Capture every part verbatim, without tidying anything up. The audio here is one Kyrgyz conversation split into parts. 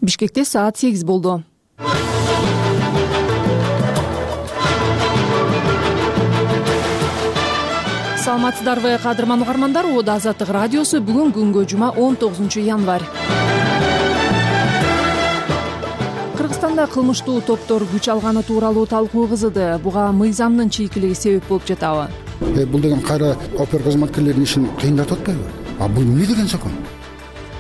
Бишкекте саат сегиз болду. Саламатсыздарбы, кадырман угармандар. Ода Азаттык радиосу бүгүн күнгө жума он тогузунчу январь. Кыргызстанда кылмыштуу топтор күч алганы тууралуу талкуу кызыды. Буга мыйзамдын чийкилиги себеп болуп жатабы? Э, бул деген кайра опер кызматкерлеринин ишин кыйындатып атпайбы? А бул эмне деген закон?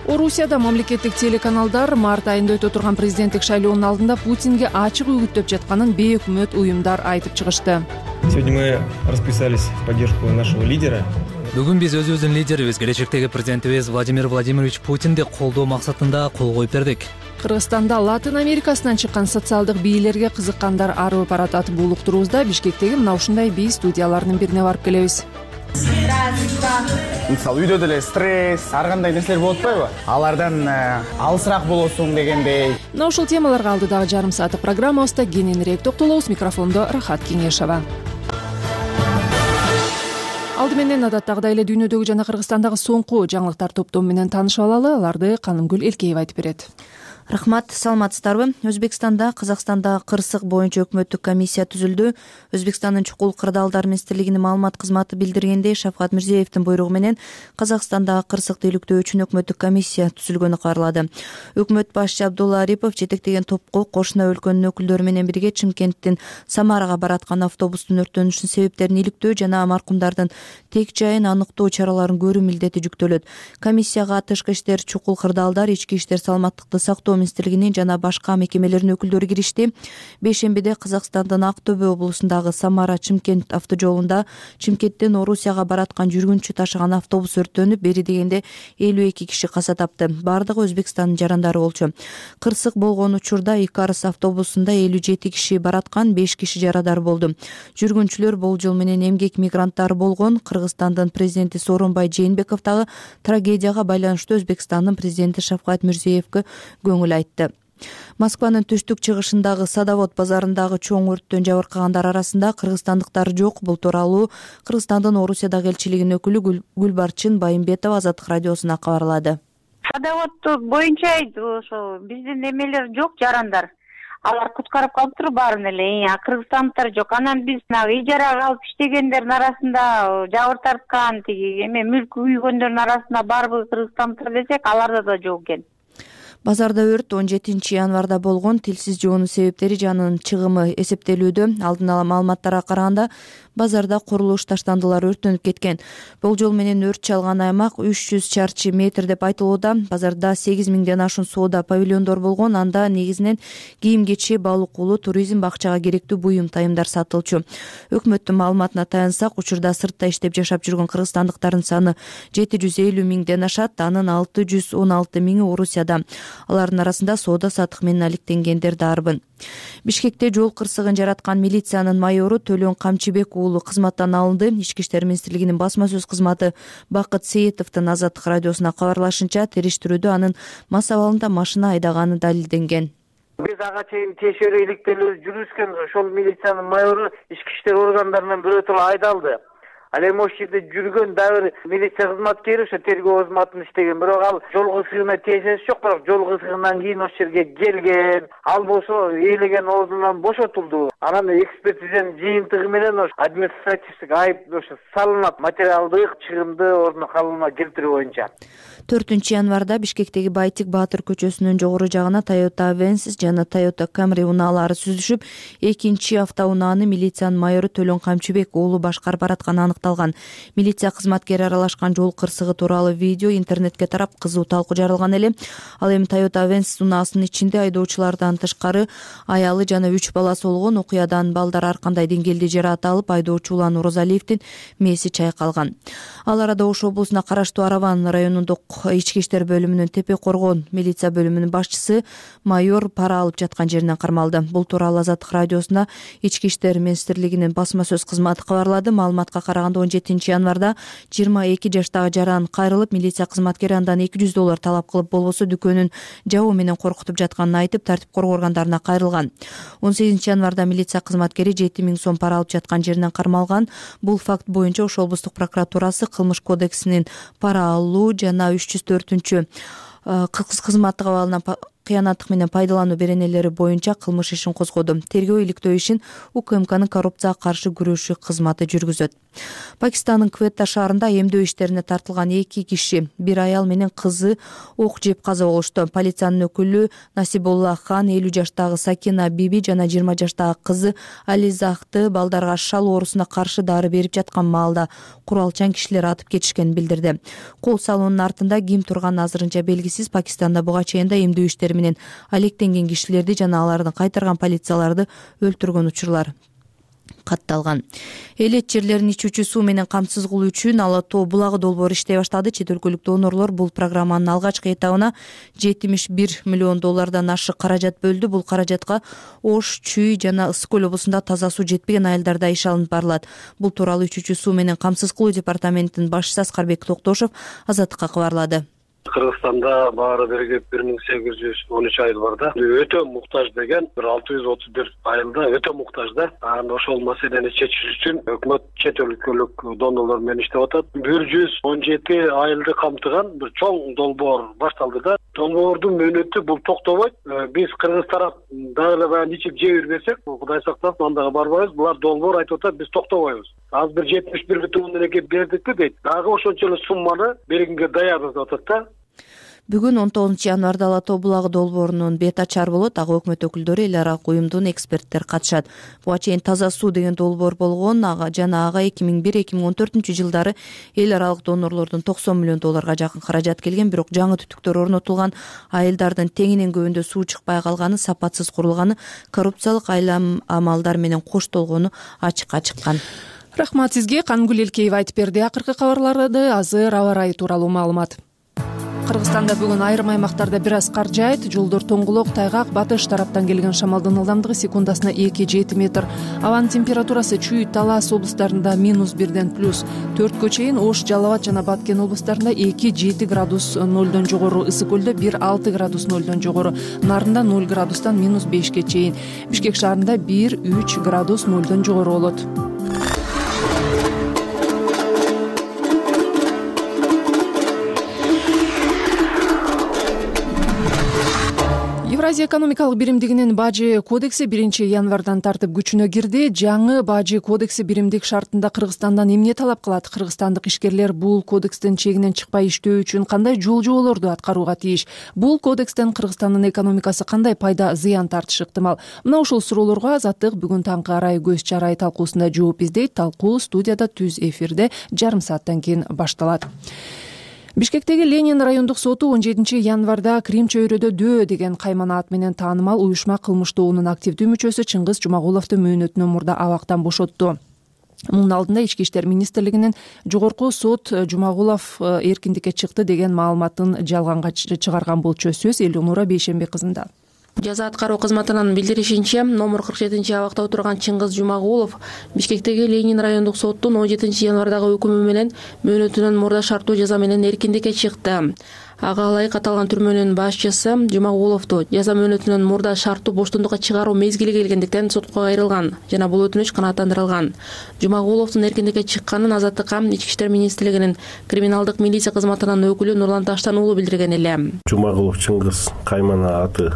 Орусияда мамлекеттик телеканалдар март айында өтө турган президенттик шайлоонун алдында Путинге ачык үгүттөп жатканын бейөкмөт уюмдар айтып чыгышты. Сегодня мы расписались в поддержку нашего лидера. Бүгүн биз өзүбүздүн лидерибиз, келечектеги президентибиз Владимир Владимирович Путинди колдоо максатында кол коюп бердик. Кыргызстанда Латын Америкасынан чыккан социалдык бийлерге кызыккандар арып баратат. Бул уктуруубузда Бишкектеги мына ушундай бий студияларынын бирине барып келебиз. Мисалы үйдө деле стресс, ар кандай нерселер болуп атпайбы? Алардан алысыраак болосуң дегендей. Мына ушул темаларга алдыдагы жарым сааттык программабызда кененирээк токтолобуз. Микрофондо Рахат Кеңешова. Алды менен адаттагыдай эле дүйнөдөгү жана Кыргызстандагы соңку жаңылыктар топтому менен таанышып алалы. Аларды Канымгүл Элкеева айтып берет. Рахмат, саламатсыздарбы? Өзбекстанда, Казакстанда кырсык боюнча өкмөттүк комиссия түзүлдү. Өзбекстандын чукул кырдаалдар министрлигинин маалымат кызматы билдиргендей, Шавкат Мирзиевдин буйругу менен Казакстандагы кырсыкты иликтөө үчүн өкмөттүк комиссия түзүлгөнү кабарлады. Өкмөт башчы Абдулла Арипов жетектеген топко кошуна өлкөнүн өкүлдөрү менен бирге Чымкенттин Самарага бараткан автобустун өрттөнүшүнүн себептерин иликтөө жана маркумдардын тек жайын аныктоо чараларын көрүү милдети жүктөлөт. Комиссияга тышкы иштер, чукул кырдаалдар, ички иштер, саламаттыкты сактоо министрлигинин жана башка мекемелердин өкүлдөрү киришти. Бейшембиде Казакстандын Актөбө облусундагы Самара-Чымкент автожолунда Чымкенттен Орусияга бараткан жүргүнчү ташыган автобус өрттөнүп, бери дегенде элүү эки киши каза тапты. Бардыгы Өзбекстандын жарандары болчу. Кырсык болгон учурда Икарыс автобусунда элүү жети киши бараткан, беш киши жарадар болду. Жүргүнчүлөр болжол менен эмгек мигранттары болгон. Кыргызстандын президенти Сооронбай Жээнбеков дагы трагедияга байланыштуу Өзбекстандын президенти Шавкат Мирзиевге көңүл айтты. Москванын түштүк-чыгышындагы Садовод базарындагы чоң өрттөн жабыркагандар арасында кыргызстандыктар жок. Бул тууралуу Кыргызстандын Орусиядагы элчилигинин өкүлү Гүлбарчын Байымбетова Азаттык радиосуна кабарлады. Садовод боюнча ошо биздин эмелер жок, жарандар. Алар куткарып калыптыр баарын эле. А кыргызстандыктар жок. Анан биз ижарага алып иштегендердин арасында жабыр тарткан, тиги эме мүлк үйгөндөрдүн арасында барбы кыргызстандыктар десек, аларда да жок экен. Базарда өрт он жетинчи январда болгон. Тилсиз жоонун себептери жанын чыгымы эсептелүүдө. Алдын ала маалыматтарга караганда базарда курулуш таштандылар өрттөнүп кеткен. Болжол менен өрт чалган аймак үч жүз чарчы метр деп айтылууда. Базарда сегиз миңден ашуун соода павильондор болгон. Анда негизинен кийим-кечи, балык уулу, туризм, бакчага керектүү буюм тайымдар сатылчу. Өкмөттүн маалыматына таянсак, учурда сыртта иштеп жашап жүргөн кыргызстандыктардын саны жети жүз элүү миңден ашат. Анын алты жүз он алты миңи Орусияда. Алардын арасында соода сатык менен алектенгендер дарбын. Бишкекте жол кырсыгын жараткан милициянын майору Төлөн Камчыбек уулу кызматтан алынды. Ички иштер министрлигинин басма сөз кызматы Бакыт Сейитовдун Азаттык радиосуна кабарлашынча, териштирүүдө анын мас абалында машина айдаганы далилденген. Биз ага чейин текшерүү иликтелүү жүргүзгөн ошол милициянын майору ички иштер органдарынан бирөөтөлө айдалды. Ал эми ошол жерде жүргөн дагы бир милиция кызматкери ошо тергөө кызматын иштеген. Бирок ал жол кырсыгына тиешеси жок, бирок жол кырсыгынан кийин ошол жерге келген. Ал болсо ээлеген ордунан бошотулду. Анан экспертизанын жыйынтыгы менен ошо административдик айып ошо салынат, материалдык чыгымды ордуна калыбына келтирүү боюнча. төртүнчү январда Бишкектеги Байтик Баатыр көчөсүнүн жогору жагына Toyota Avensis жана Toyota Camry унаалары сүзүшүп, экинчи автоунааны милициянын майору Төлөн Камчыбек уулу башкарып баратканы аныкталган. Милиция кызматкери аралашкан жол кырсыгы тууралуу видео интернетке тарап, кызуу талкуу жаралган эле. Ал эми Toyota Avensis унаасынын ичинде айдоочулардан тышкары аялы жана үч баласы болгон. Окуядан балдар ар кандай деңгээлде жараат алып, айдоочу Улан Орозалиевдин мээси чайкалган. Ал арада Ош облусуна караштуу Араван районундук ички иштер бөлүмүнүн Тепе Коргон милиция бөлүмүнүн башчысы майор пара алып жаткан жеринен кармалды. Бул тууралуу Азаттык радиосуна ички иштер министрлигинин басма сөз кызматы кабарлады. Маалыматка караганда он жетинчи январда жыйырма эки жаштагы жаран кайрылып, милиция кызматкери андан эки жүз доллар талап кылып, болбосо дүкөнүн жабуу менен коркутуп жатканын айтып, тартип коргоо органдарына кайрылган. он сегизинчи январда милиция кызматкери жети миң сом пара алып жаткан жеринен кармалган. Бул факт боюнча Ош облустук прокуратурасы кылмыш кодексинин пара алуу жана үч жүз төртүнчү кызматтык абалына кыянаттык менен пайдалануу беренелери боюнча кылмыш ишин козгоду. Тергөө иликтөө ишин УКМКнын коррупцияга каршы күрөшүү кызматы жүргүзөт. Пакистандын Кветта шаарында эмдөө иштерине тартылган эки киши, бир аял менен кызы ок жеп каза болушту. Полициянын өкүлү Насибулла Хан элүү жаштагы Сакина Биби жана жыйырма жаштагы кызы Ализахты балдарга шал оорусуна каршы дары берип жаткан маалда куралчан кишилер атып кетишкенин билдирди. Кол салуунун артында ким турганы азырынча белгисиз. Пакистанда буга чейин да эмдөө иштери менен алектенген кишилерди жана алардын кайтарган полицияларды өлтүргөн учурлар катталган. Элет жерлерин ичүүчү суу менен камсыз кылуу үчүн Ала тоо булагы долбоору иштей баштады. Чет өлкөлүк донорлор бул программанын алгачкы этабына жетимиш бир миллион доллардан ашык каражат бөлдү. Бул каражатка Ош, Чүй жана Ысык көл облусунда таза суу жетпеген айылдарда иш алынып барылат. Бул тууралуу ичүүчү суу менен камсыз кылуу департаментинин башчысы Аскарбек Токтошов Азаттыкка кабарлады. Кыргызстанда баары биригип бир миң сегиз жүз он үч айыл бар да. Өтө муктаж деген бир алты жүз отуз бир айылда өтө муктаж да. Анан ошол маселени чечиш үчүн өкмөт чет өлкөлүк донорлор менен иштеп атат. бир жүз он жети айылды камтыган бир чоң долбоор башталды да. Долбоордун мөөнөтү бул токтобойт. Биз кыргыз тарап дагы эле баягы ичип жей бербесек, Кудай сактасын, андага барбайбыз. Булар долбоор айтып атат, биз токтобойбуз. Азыр бир жетимиш бир бүтүн ондон эки бердикпи дейт. Дагы ошончо эле сумманы бергенге даярбыз деп атат да. Бүгүн он тогузунчу январда Ала тоо булагы долбоорунун бет ачар болот. Ага өкмөт өкүлдөрү, эл аралык уюмдун эксперттери катышат. Буга чейин таза суу деген долбоор болгон жана ага эки миң бир эки миң он төртүнчү жылдары эл аралык донорлордун токсон миллион долларга жакын каражат келген. Бирок жаңы түтүктөр орнотулган, айылдардын теңинен көбүндө суу чыкпай калганы, сапатсыз курулганы, коррупциялык айлам амалдар менен коштолгону ачыкка чыккан. Рахмат сизге. Кангүл Элкеева айтып берди. Акыркы кабарларды азыр аба ырайы тууралуу маалымат. Кыргызстанда бүгүн айрым аймактарда бир аз кар жаайт. Жолдор тоңгулок, тайгак, батыш тараптан келген шамалдын ылдамдыгы секундасына эки жети метр. Абанын температурасы Чүй, Талас облустарында минус бирден плюс төрткө чейин, Ош, Жалал Абад жана Баткен облустарында эки жети градус нолдон жогору, Ысык көлдө бир алты градус нолдон жогору, Нарында ноль градустан минус бешке чейин, Бишкек шаарында бир үч градус нолдон жогору болот. Евразия экономикалык биримдигинин бажы кодекси биринчи январдан тартып күчүнө кирди. Жаңы бажы кодекси биримдик шартында Кыргызстандан эмне талап кылат? Кыргызстандык ишкерлер бул кодекстин чегинен чыкпай иштөө үчүн кандай жол жоболорду аткарууга тийиш? Бул кодекстен Кыргызстандын экономикасы кандай пайда, зыян тартышы ыктымал? Мына ушул суроолорго Азаттык бүгүн таңкы арай көз чарай талкуусунда жооп издейт. Талкуу студияда түз эфирде жарым сааттан кийин башталат. Бишкектеги Ленин райондук соту он жетинчи январда Крим чөйрөдө дөө деген каймана ат менен таанымал уюшма кылмыш тобунун активдүү мүчөсү Чыңгыз Жумагуловду мөөнөтүнөн мурда абактан бошотту. Мунун алдында Ички иштер министрлигинин жогорку сот Жумагулов эркиндикке чыкты деген маалыматын жалганга чыгарган болчу. Сөз Элюнура Бейшембек кызында. Жаза аткаруу кызматынын билдиришинче, номер кырк жетинчи абакта отурган Чыңгыз Жумагулов Бишкектеги Ленин райондук соттун он жетинчи январдагы өкүмү менен мөөнөтүнөн мурда шарттуу жаза менен эркиндикке чыкты. Ага ылайык аталган түрмөнүн башчысы Жумагуловду жаза мөөнөтүнөн мурда шарттуу боштондукка чыгаруу мезгили келгендиктен сотко кайрылган жана бул өтүнүч канааттандырылган. Жумагуловдун эркиндикке чыкканын Азаттыкка Ички иштер министрлигинин криминалдык милиция кызматынын өкүлү Нурлан Таштан уулу билдирген эле. Жумагулов Чыңгыз каймана аты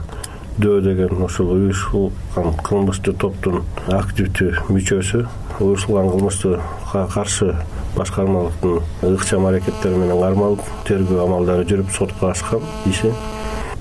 дөө деген ошол уюшулган кылмыштуу топтун активдүү мүчөсү. Уюшулган кылмышты каршы башкармалыктын ыкчам аракеттери менен кармалып, тергөө амалдары жүрүп, сотко ашкан иши.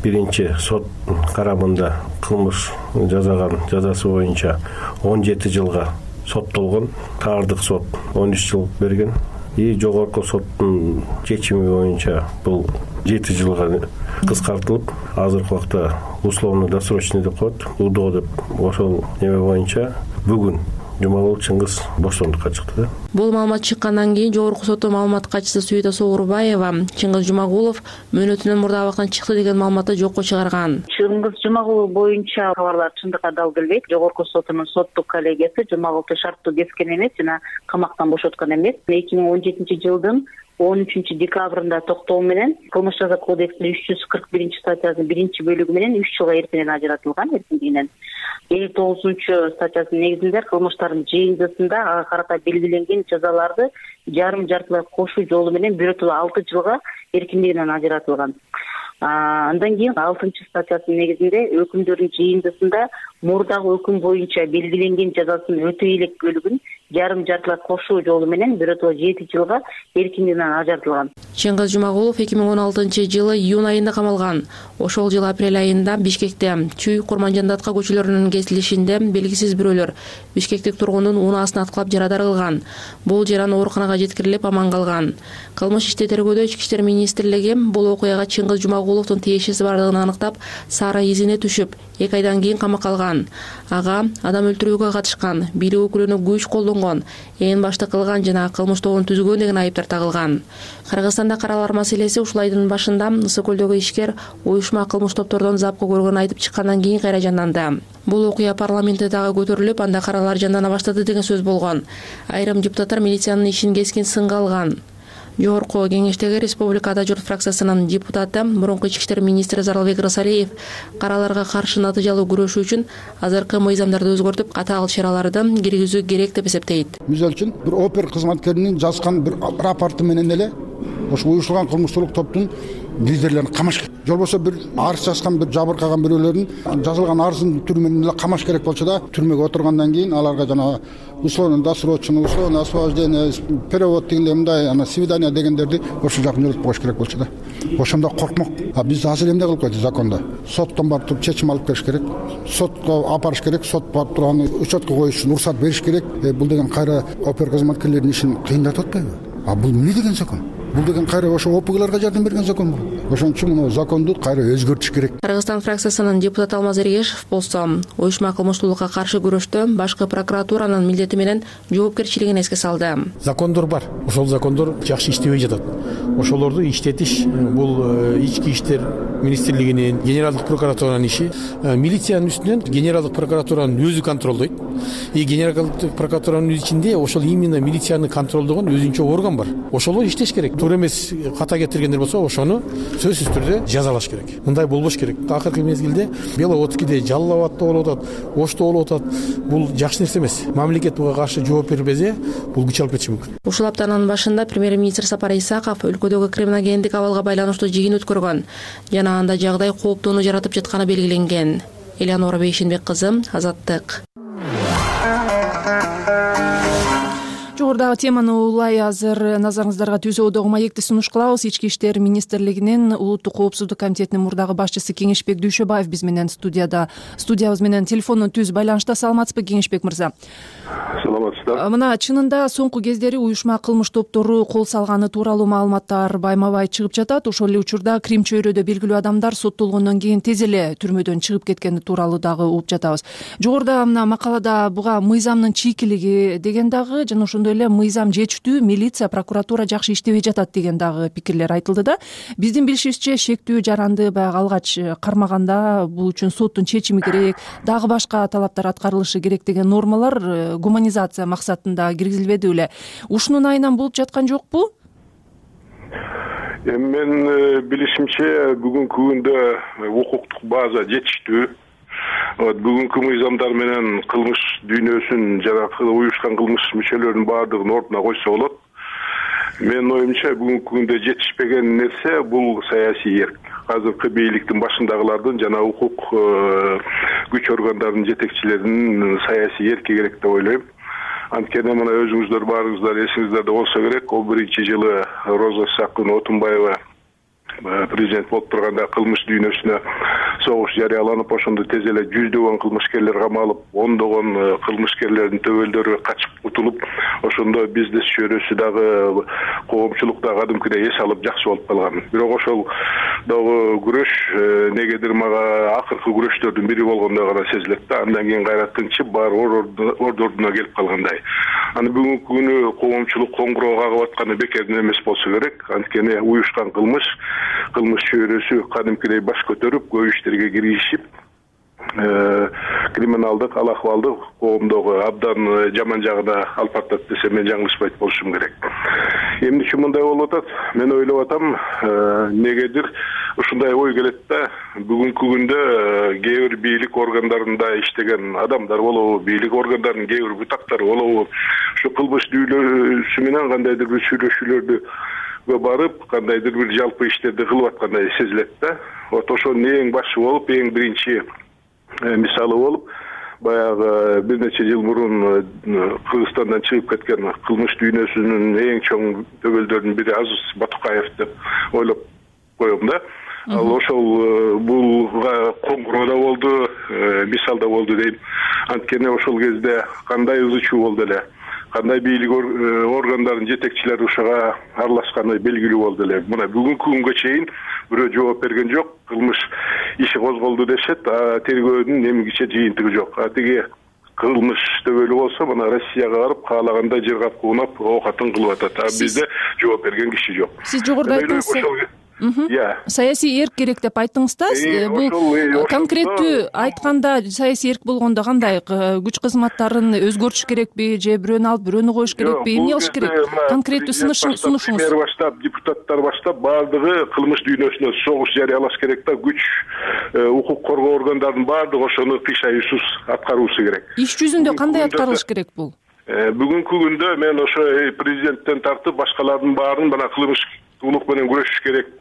Биринчи сот карамында кылмыш жазаган жазасы боюнча он жети жылга соттолгон. Таардык сот он үч жыл берген. И жогорку соттун чечими боюнча бул жети жылга кыскартылып, азыркы убакта условно досрочный деп коет, УДО деп, ошол неме боюнча бүгүн Жумагулов Чыңгыз боштондукка чыкты. Бул маалымат чыккандан кийин жогорку соттун маалымат катчысы Сүйөтө Соорубаева Чыңгыз Жумагулов мөөнөтүнөн мурда абактан чыкты деген маалыматты жокко чыгарган. Чыңгыз Жумагулов боюнча кабарлар чындыкка дал келбейт. Жогорку соттун соттук коллегиясы Жумагуловду шарттуу кескен эмес жана камактан бошоткон эмес. эки миң он жетинчи жылдын он үчүнчү декабрында токтоо менен кылмыш жаза кодексинин үч жүз кырк биринчи статьясынын биринчи бөлүгү менен үч жылга эркинен ажыратылган эркиндигинен. элүү тогузунчу статьясынын негизинде кылмыштардын жыйынтыгында ага карата белгиленген жазаларды жарым жартылай кошуу жолу менен биротоло алты жылга эркиндигинен ажыратылган. Андан кийин алтынчы статьясынын негизинде өкүмдөрдүн жыйынтыгында мурдагы өкүм боюнча белгиленген жазасын өтөй элек бөлүгүн жарым жартылай кошуу жолу менен биротоло жети жылга эркиндигинен ажыратылган. Чыңгыз Жумагулов эки миң он алтынчы жылы июнь айында камалган. Ошол жылы апрель айында Бишкекте Чүй Курманжан-Датка көчөлөрүнүн кесилишинде белгисиз бирөөлөр бишкектик тургундун унаасын аткылап жарадар кылган. Бул жаран ооруканага жеткирилип аман калган. Кылмыш ишти тергөөдө Ички иштер министрлиги бул окуяга Чыңгыз Жумагуловдун тиешеси бардыгын аныктап, Сара изине түшүп, эки айдан кийин камакка алган. Ага адам өлтүрүүгө катышкан, бийлик өкүлүнө күч колдонгон, ээн баштык кылган жана кылмыш тобун түзгөн деген айыптар тагылган. Кыргызстанда каралар маселеси ушул айдын башында Ысык көлдөгү ишкер уюшма кылмыш топтордон запкы көргөнүн айтып чыккандан кийин кайра жанданды. Бул окуя парламентте дагы көтөрүлүп, анда каралар жандана баштады деген сөз болгон. Айрым депутаттар милициянын ишин кескин сынга алган. Жогорку кеңештеги Республикада журт фракциясынын депутаты, мурунку ички иштер министри Зарылбек Рысалиев караларга каршы натыйжалуу күрөшүү үчүн азыркы мыйзамдарды өзгөртүп, катаал чараларды киргизүү керек деп эсептейт. Мисалы үчүн бир опер кызматкеринин жазган бир рапорты менен эле ошо уюштурулган кылмыштуулук топтун лидерлерин камаш керек. Же болбосо бир арыз жазган, бир жабыркаган бирөөлөрүн жазылган арыздын түрү менен эле камаш керек болчу да, түрмөгө отургандан кийин аларга жана условно досрочно, условно освобождение, перевод дегенде мындай, ана свидание дегендерди ошо жакын жөнөтүп коюш керек болчу да. Ошондо коркмок. А биз азыр эмне кылып койдук закондо? Соттон барып туруп чечим алып келиш керек. Сотко апарыш керек, сот барып туруп аны учетко коюш үчүн уруксат бериш керек. Бул деген кайра опер кызматкерлеринин ишин кыйындатып атпайбы? А бул эмне деген закон? Бул деген кайра ошо опгларга жардам берген закон бул. Ошон үчүн муну законду кайра өзгөртүш керек. Кыргызстан фракциясынын депутаты Алмаз Эргешев болсо, уюшма кылмыштуулукка каршы күрөштө башкы прокуратуранын милдети менен жоопкерчилигин эске салды. Закондор бар. Ошол закондор жакшы иштебей жатат. Ошолорду иштетиш бул ички иштер министрлигинин, генералдык прокуратуранын иши. Милициянын үстүнөн генералдык прокуратуранын өзү контролдойт. И генералдык прокуратуранын ичинде ошол именно милицияны контролдогон өзүнчө орган бар. Ошолор иштеш керек. Туура эмес ката кетиргендер болсо, ошону сөзсүз түрдө жазалаш керек. Мындай болбош керек. Акыркы мезгилде Беловодскийде Жалал-Абадта болуп атат, Ошто болуп атат. Бул жакшы нерсе эмес. Мамлекет буга каршы жооп бербесе, бул күч алып кетиши мүмкүн. Ушул аптанын башында премьер-министр Сапар Исаков өлкөдөгү криминогендик абалга байланыштуу жыйын өткөргөн жана анда жагдай кооптууну жаратып жатканы белгиленген. Элеонора Бейшенбек кызы, Азаттык. Жогорудагы теманы улай азыр назарыңыздарга түзөөдөгү маекти сунуш кылабыз. Ички иштер министрлигинин улуттук коопсуздук комитетинин мурдагы башчысы Кеңешбек Дүйшөбаев биз менен студияда. Студиябыз менен телефондон түз байланышта. Саламатсызбы, Кеңешбек мырза? Саламатсыздар. Мына чынында соңку кездери уюшма кылмыш топтору кол салганы тууралуу маалыматтар байма-бай чыгып жатат. Ошол эле учурда Крим чөйрөдө белгилүү адамдар соттолгондон кийин тез эле түрмөдөн чыгып кеткени тууралуу дагы угуп жатабыз. Жогоруда мына макалада буга мыйзамдын чийкилиги деген дагы жана ошондой эле мыйзам жетиштүү, милиция, прокуратура жакшы иштебей жатат деген дагы пикирлер айтылды да. Биздин билишибизче шектүү жаранды баягы алгач кармаганда бул үчүн соттун чечими керек, дагы башка талаптар аткарылышы керек деген нормалар гуманизация максатында киргизилбеди беле? Ушунун айынан болуп жаткан жокпу? Эми мен билишимче бүгүнкү күндө укуктук база жетиштүү. Бүгүнкү мыйзамдар менен кылмыш дүйнөсүн жана уюшкан кылмыш мүчөлөрүнүн баардыгын ордуна койсо болот. Менин оюмча бүгүнкү күндө жетишпеген нерсе бул саясий эрк. Азыркы бийликтин башындагылардын жана укук күч органдарынын жетекчилеринин саясий эрки керек деп ойлойм. Анткени мына өзүңүздөр баарыңыздар эсиңиздерде болсо керек, он биринчи жылы Роза Исакова Отунбаева президент болуп турганда кылмыш дүйнөсүнө согуш жарыяланып, ошондо тез эле жүздөгөн кылмышкерлер камалып, ондогон кылмышкерлердин төбөлдөрү качып кутулуп, ошондо бизнес чөйрөсү дагы коомчулук да кадимкидей эс алып жакшы болуп калган. Бирок ошол дагы күрөш негедир мага акыркы күрөштөрдүн бири болгондой гана сезилет да. Андан кийин кайра тынчып баары ордордуна келип калгандай. Аны бүгүнкү күнү коомчулук коңгуроо кагып атканы бекерден эмес болсо керек. Анткени уюшкан кылмыш кылмыш чөйрөсү кадимкидей баш көтөрүп, көп иштерге киришип, криминалдык ал акыбалды коомдогу абдан жаман жагына алып атат десем мен жаңылышпайт болушум керек. эмниче мындай болуп атат, мен ойлоп атам, негедир ушундай ой келет да. Бүгүнкү күндө кээ бир бийлик органдарында иштеген адамдар болобу, бийлик органдарынын кээ бир бутактары болобу, ушу кылмыш дүйнөсү менен кандайдыр бир сүйлөшүүлөрдү барып, кандайдыр бир жалпы иштерди кылып аткандай сезилет да. Вот ошонун эң башы болуп, эң биринчи мисалы болуп, баягы бир нече жыл мурун Кыргызстандан чыгып кеткен кылмыш дүйнөсүнүн эң чоң төбөлдөрүнүн бири Азиз Батукаев деп ойлоп коем да. Ал ошол бул коңгуроо да болду, мисал да болду дейм. Анткени ошол кезде кандай ызы чуу болду эле, кандай бийлик органдарынын жетекчилери ушуга аралашканы белгилүү болду эле. Мына бүгүнкү күнгө чейин бирөө жооп берген жок. Кылмыш иши козголду дешет, а тергөөнүн эмгиче жыйынтыгы жок. А тиги кылмыш төбөлү болсо, мына Россияга барып каалагандай жыргап куунап оокатын кылып атат. А бизде жооп берген киши жок. Сиз жогоруда айттыңыз. Саясий эрк керек деп айттыңыз да. Бул конкреттүү айтканда саясий эрк болгондо кандай күч кызматтарын өзгөртүш керекпи, же бирөөнү алып бирөөнү коюш керекпи, эмне кылыш керек? Конкреттүү сунушуңуз. Баштап, депутаттар баштап баардыгы кылмыш дүйнөсүнө согуш жарыялаш керек да. Күч укук коргоо органдарынын баардыгы ошону кыйшайуусуз аткаруусу керек. Иш жүзүндө кандай аткарылыш керек бул? Бүгүнкү күндө мен ошо президенттен тартып башкалардын баарын мына кылмыштуулук менен күрөшүш керек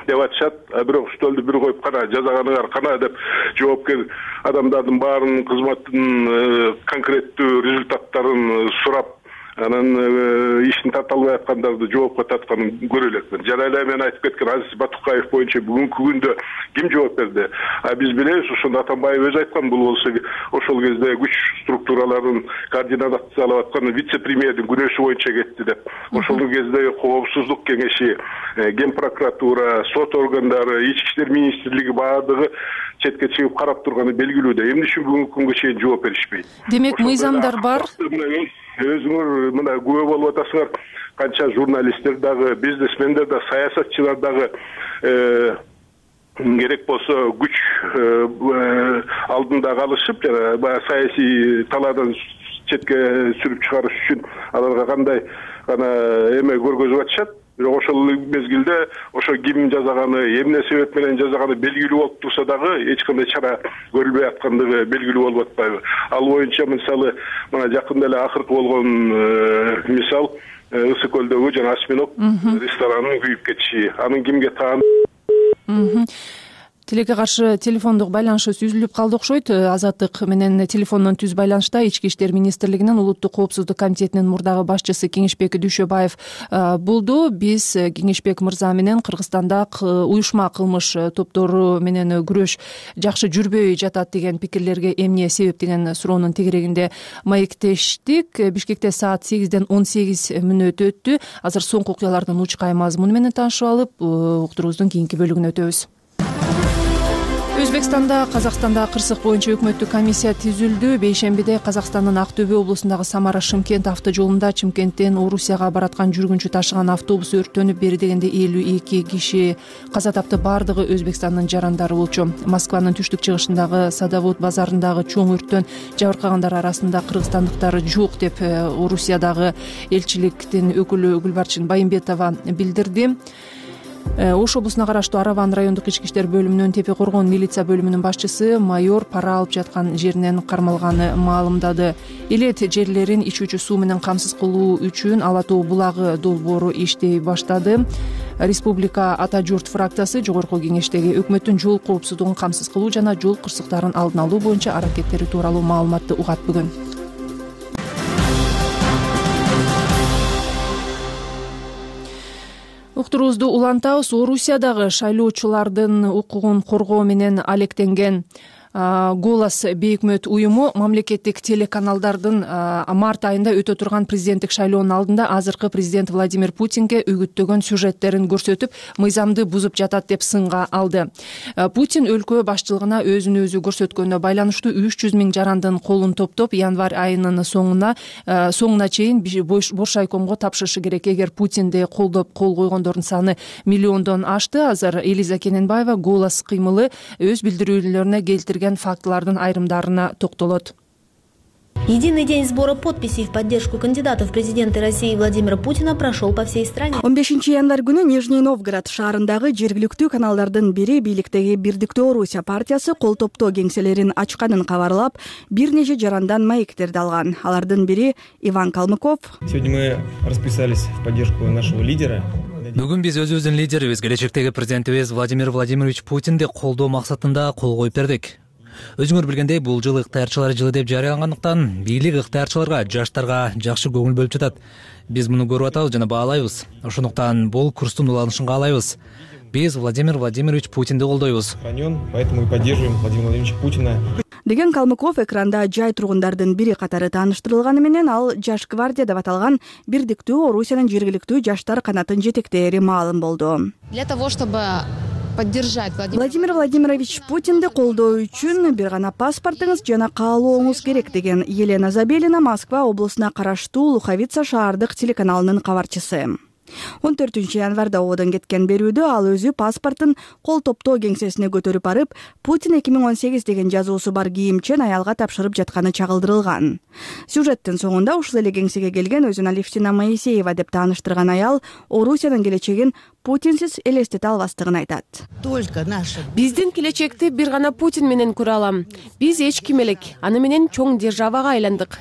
деп атышат. Бирок стөлдү бир коюп кана жазаганыңар кана деп жоопкер адамдардын баарынын кызматтын конкреттүү результаттарын сурап, анан ишин тарта албай аткандарды жоопко тартканын көрө элекмин. Жана эле мен айтып кеткен Азиз Батукаев боюнча бүгүнкү күндө ким жооп берди? А биз билебиз, ошондо Атамбаев өзү айткан, бул болсо ошол кезде күч структураларын координациялап аткан вице-премьердин күнөөсү боюнча кетти деп. Ошол кезде Коопсуздук кеңеши, Ген прокуратура, сот органдары, Ички иштер министрлиги баардыгы четке чыгып карап турганы белгилүү да. Эмне үчүн бүгүнкү күнгө чейин жооп беришпейт? Демек, мыйзамдар бар. Өзүңөр мына күбө болуп атасыңар, канча журналисттер дагы, бизнесмендер да, саясатчылар дагы керек болсо күч алдында калышып, жана баягы саясий талаадан четке сүрүп чыгарыш үчүн аларга кандай гана эме көргөзүп атышат. Бирок ошол мезгилде ошо ким жазаганы, эмне себеп менен жазаганы белгилүү болуп турса дагы эч кандай чара көрүлбөй аткандыгы белгилүү болуп атпайбы? Ал боюнча мисалы мына жакында эле акыркы болгон мисал Ысык көлдөгү жана Осьминог ресторанынын күйүп кетиши. Анын кимге таандыгы Тилекке каршы телефондук байланышыбыз үзүлүп калды окшойт. Азаттык менен телефондон түз байланышта Ички иштер министрлигинин улуттук коопсуздук комитетинин мурдагы башчысы Кеңешбек Дүйшөбаев болду. Биз Кеңешбек мырза менен Кыргызстанда уюшма кылмыш топтору менен күрөш жакшы жүрбөй жатат деген пикирлерге эмне себеп деген суроонун тегерегинде маектештик. Бишкекте саат сегизден он сегиз мүнөт өттү. Азыр соңку окуялардын учкай мазмуну менен таанышып алып, уктуруубуздун кийинки бөлүгүнө өтөбүз. Өзбекстанда Казакстанда кырсык боюнча өкмөттүк комиссия түзүлдү. Бейшембиде Казакстандын Ак Төбө облусундагы Самара-Шымкент автожолунда Чымкенттен Орусияга бараткан жүргүнчү ташыган автобус өрттөнүп, бери дегенде элүү эки киши каза тапты. Бардыгы Өзбекстандын жарандары болчу. Москванын түштүк чыгышындагы Садовод базарындагы чоң өрттөн жабыркагандар арасында кыргызстандыктар жок деп Орусиядагы элчиликтин өкүлү Гүлбарчын Байымбетова билдирди. Ош облусуна караштуу Араван райондук ички иштер бөлүмүнүн Тепе Коргон милиция бөлүмүнүн башчысы майор пара алып жаткан жеринен кармалганы маалымдады. Элет жерлерин ичүүчү суу менен камсыз кылуу үчүн Ала Тоо булагы долбоору иштей баштады. Республика Ата журт фракциясы жогорку кеңештеги өкмөттүн жол коопсуздугун камсыз кылуу жана жол кырсыктарын алдын алуу боюнча аракеттери тууралуу маалыматты угат бүгүн. Уктуруубузду улантабыз. Орусиядагы шайлоочулардын укугун коргоо менен алектенген Голос бейөкмөт уюму мамлекеттик телеканалдардын март айында өтө турган президенттик шайлоонун алдында азыркы президент Владимир Путинге үгүттөгөн сюжеттерин көрсөтүп, мыйзамды бузуп жатат деп сынга алды. Путин өлкө башчылыгына өзүн өзү көрсөткөнүнө байланыштуу үч жүз миң жарандын колун топтоп, январь айынын соңуна соңуна чейин бош шайкомго тапшырышы керек. Эгер Путинди колдоп кол койгондордун саны миллиондон ашты. Азыр Элиза Кененбаева Голос кыймылы өз билдирүүлөрүнө келтирген фактылардын айрымдарына токтолот. Единый день сбора подписей в поддержку кандидата в президенты России Владимира Путина прошел по всей стране. он бешинчи январь күнү Нижний Новгород шаарындагы жергиликтүү каналдардын бири бийликтеги Бирдиктүү Орусия партиясы кол топтоо кеңселерин ачканын кабарлап, бир нече жарандан маектерди алган. Алардын бири Иван Калмыков. Сегодня мы расписались в поддержку нашего лидера. Бүгүн биз өзүбүздүн лидерибиз, келечектеги президентибиз Владимир Владимирович Путинди колдоо максатында кол коюп бердик. Өзүңөр билгендей, бул жыл ыктыярчылар жылы деп жарыялангандыктан бийлик ыктыярчыларга, жаштарга жакшы көңүл бөлүп жатат. Биз муну көрүп атабыз жана баалайбыз. Ошондуктан бул курстун уланышын каалайбыз. Биз Владимир Владимирович Путинди колдойбуз. Поэтому и поддерживаем Владимира Владимировича Путина. Деген Калмыков экранда жай тургундардын бири катары тааныштырылганы менен ал Жаш гвардия деп аталган Бирдиктүү Орусиянын жергиликтүү жаштар канатын жетектээри маалым болду. Для того, чтобы поддержать Владимир Владимирович Путинди колдоо үчүн бир гана паспортуңуз жана каалооңуз керек, деген Елена Забелина Москва облусуна караштуу Луховица шаардык телеканалынын кабарчысы. он төртүнчү январда оодон кеткен берүүдө ал өзү паспортун кол топтоо кеңсесине көтөрүп барып, Путин эки миң он сегиз деген жазуусу бар кийимчен аялга тапшырып жатканы чагылдырылган. Сюжеттин соңунда ушул эле кеңсеге келген өзүн Алевтина Моисеева деп тааныштырган аял Орусиянын келечегин Путинсиз элестете албастыгын айтат. Биздин келечекти бир гана Путин менен көрө алам. Биз эч ким элек, аны менен чоң державага айландык.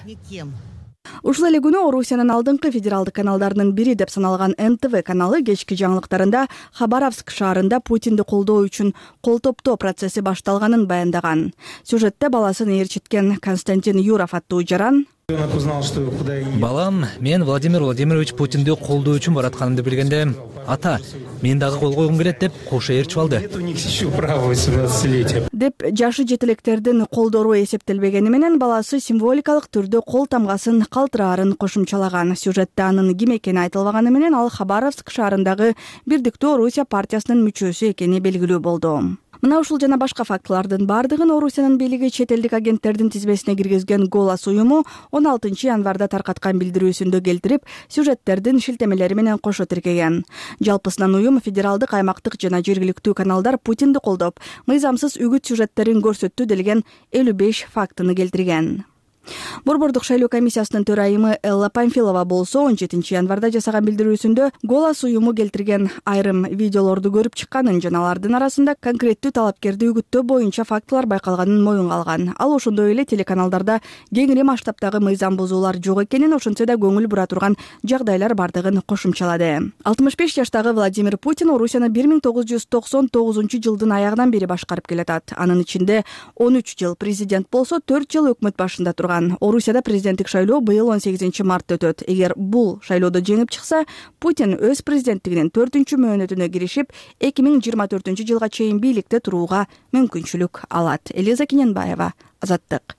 Ушул эле күнү Орусиянын алдыңкы федералдык каналдарынын бири деп саналган эн тэ вэ каналы кечки жаңылыктарында Хабаровск шаарында Путинди колдоо үчүн кол топтоо процесси башталганын баяндаган. Сюжетте баласын ээрчиткен Константин Юров аттуу жаран: балам, мен Владимир Владимирович Путинди колдоо үчүн баратканымды билгенде, ата, мен дагы кол койгум келет деп кошо ээрчип алды. Деп жашы жетилектердин колдору эсептелбегени менен баласы символикалык түрдө кол тамгасын калтыраарын кошумчалаган. Сюжетте анын ким экени айтылбаганы менен ал Хабаровск шаарындагы Бирдиктүү Орусия партиясынын мүчөсү экени белгилүү болду. Мына ушул жана башка фактылардын бардыгын Орусиянын бийлиги чет элдик агенттердин тизмесине киргизген Голос уюму он алтынчы январда таркаткан билдирүүсүндө келтирип, сюжеттердин шилтемелери менен кошо тиркеген. Жалпысынан уюм федералдык, аймактык жана жергиликтүү каналдар Путинди колдоп, мыйзамсыз үгүт сюжеттерин көрсөттү делген элүү беш фактыны келтирген. Борбордук шайлоо комиссиясынын төрайымы Элла Памфилова болсо он жетинчи январда жасаган билдирүүсүндө Голос уюму келтирген айрым видеолорду көрүп чыкканын жана алардын арасында конкреттүү талапкерди үгүттөө боюнча фактылар байкалганын моюнга алган. Ал ошондой эле телеканалдарда кеңири масштабтагы мыйзам бузуулар жок экенин, ошентсе да көңүл бура турган жагдайлар бардыгын кошумчалады. алтымыш беш жаштагы Владимир Путин Орусияны бир миң тогуз жүз токсон тогузунчу жылдын аягынан бери башкарып келатат. Анын ичинде он үч жыл президент болсо, төрт жыл өкмөт башында турган. Орусияда президенттик шайлоо быйыл он сегизинчи мартта өтөт. Эгер бул шайлоодо жеңип чыкса, Путин өз президенттигинин төртүнчү мөөнөтүнө киришип, эки миң жыйырма төртүнчү жылга чейин бийликте турууга мүмкүнчүлүк алат. Элиза Киненбаева, Азаттык.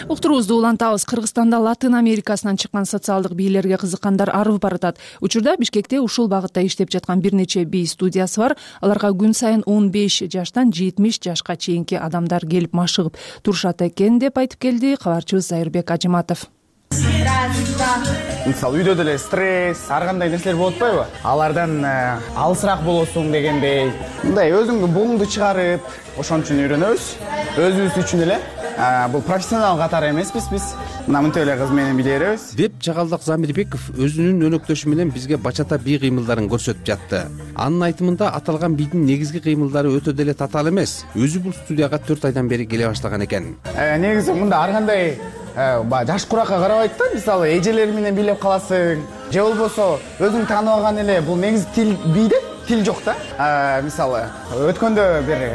Уктуруубузду улантабыз. Кыргызстанда Латын Америкасынан чыккан социалдык бийлерге кызыккандар арып баратат. Учурда Бишкекте ушул багытта иштеп жаткан бир нече бий студиясы бар. Аларга күн сайын он беш жаштан жетимиш жашка чейинки адамдар келип машыгып турушат экен деп айтып келди кабарчыбыз Зайырбек Ажыматов. Мисалы үйдө деле стресс, ар кандай нерселер болуп атпайбы? Алардан алысыраак болосуң дегендей, мындай өзүңдү буңду чыгарып, ошон үчүн үйрөнөбүз. Өзүбүз үчүн эле. Бул профессионал катары эмеспиз биз. Мына мынтип эле кыз менен биле беребиз. Деп Чагалдак Замирбеков өзүнүн өнөктөшү менен бизге бачата бий кыймылдарын көрсөтүп жатты. Анын айтымында аталган бийдин негизги кыймылдары өтө деле татаал эмес. Өзү бул студияга төрт айдан бери келе баштаган экен. Негизи мында ар кандай жаш куракка карабайт да, мисалы эжелер менен бийлеп каласың, же болбосо өзүң тааныбаган эле бул негизи тил бийде, тил жок да. Мисалы өткөндө бир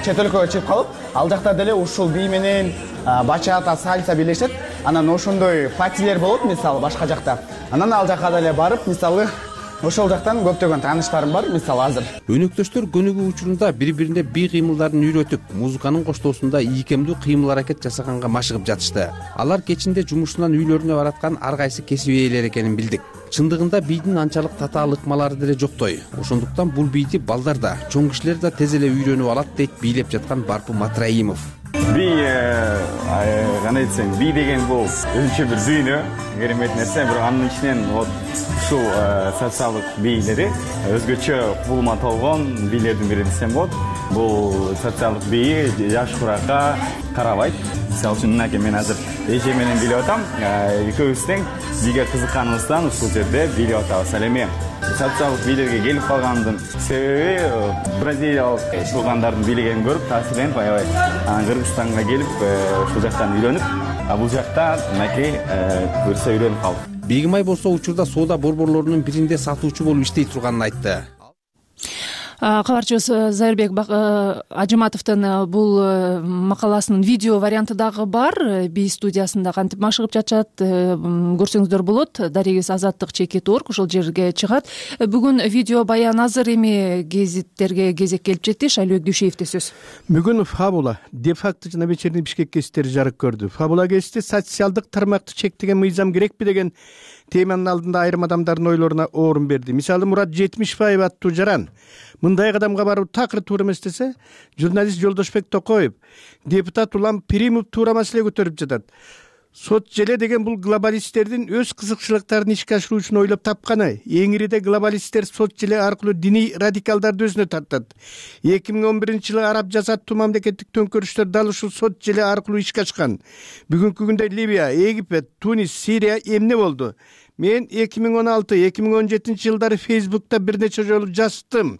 чет өлкөгө чыгып калып, ал жакта деле ушул бий менен бачата, сальса бийлешет. Анан ошондой патилер болот, мисалы башка жакта. Анан ал жака деле барып, мисалы ошол жактан көптөгөн тааныштарым бар, мисалы азыр. Өнөктөштөр көнүгүү учурунда бири-бирине бий кыймылдарын үйрөтүп, музыканын коштоосунда ийкемдүү кыймыл аракет жасаганга машыгып жатышты. Алар кечинде жумушунан үйлөрүнө бараткан ар кайсы кесип ээлери экенин билдик. Чындыгында бийдин анчалык татаал ыкмалары деле жоктой. Ошондуктан бул бийди балдар да, чоң кишилер да тез эле үйрөнүп алат дейт бийлеп жаткан Барпы Матраимов. би кандай десем, би деген бул өзүнчө бир дүйнө, керемет нерсе. Бирок анын ичинен вот ушул социалдык бийлери өзгөчө кубулма толгон бийлердин бири десем болот. Бул социалдык бийи жаш куракка карабайт. Мисалы үчүн мынакей, мен азыр эже менен билип атам, экөөбүз тең бийге кызыкканыбыздан ушул жерде билип атабыз. Ал эми социалдык бийлерге келип калганымдын себеби бразилиялык туугандардын бийлигин көрүп таасирленип, аябай анан Кыргызстанга келип ушул жактан үйрөнүп, а бул жакта мынакей буюрса үйрөнүп калдым. Бегимай болсо учурда соода борборлорунун биринде сатуучу болуп иштей турганын айтты. Кабарчыбыз Зайырбек Ажыматовдун бул макаласынын видео варианты дагы бар. Би студиясында кантип машыгып жатышат, көрсөңүздөр болот. Дарегиз Азаттык чекит точка орг ошол жерге чыгат. Бүгүн видео баян азыр, эми гезиттерге кезек келип жетти. Шайлыбек Дүйшеевде сөз. Бүгүн Фабула де-факто жана вечерний Бишкек гезиттери жарык көрдү. Фабула гезити социалдык тармакты чектеген мыйзам керекпи деген теманын алдында айрым адамдардын ойлоруна орун берди. Мисалы, Мурат Жетимишбаев аттуу жаран мындай кадамга баруу такыр туура эмес десе, журналист Жолдошбек Токоев, депутат Улам Пиримов туура маселе көтөрүп жатат. Сот желе деген бул глобалисттердин өз кызыкчылыктарын ишке ашыруу үчүн ойлоп тапканы. Эң ириде глобалисттер сот желе аркылуу диний радикалдарды өзүнө тартат. эки миң он биринчи жылы араб жазаттуу мамлекеттик төңкөрүштөр дал ушул сот желе аркылуу ишке ашкан. Бүгүнкү күндө Ливия, Египет, Тунис, Сирия эмне болду? Мен эки миң он алты эки миң он жетинчи жылдары Фейсбукта бир нече жолу жаздым.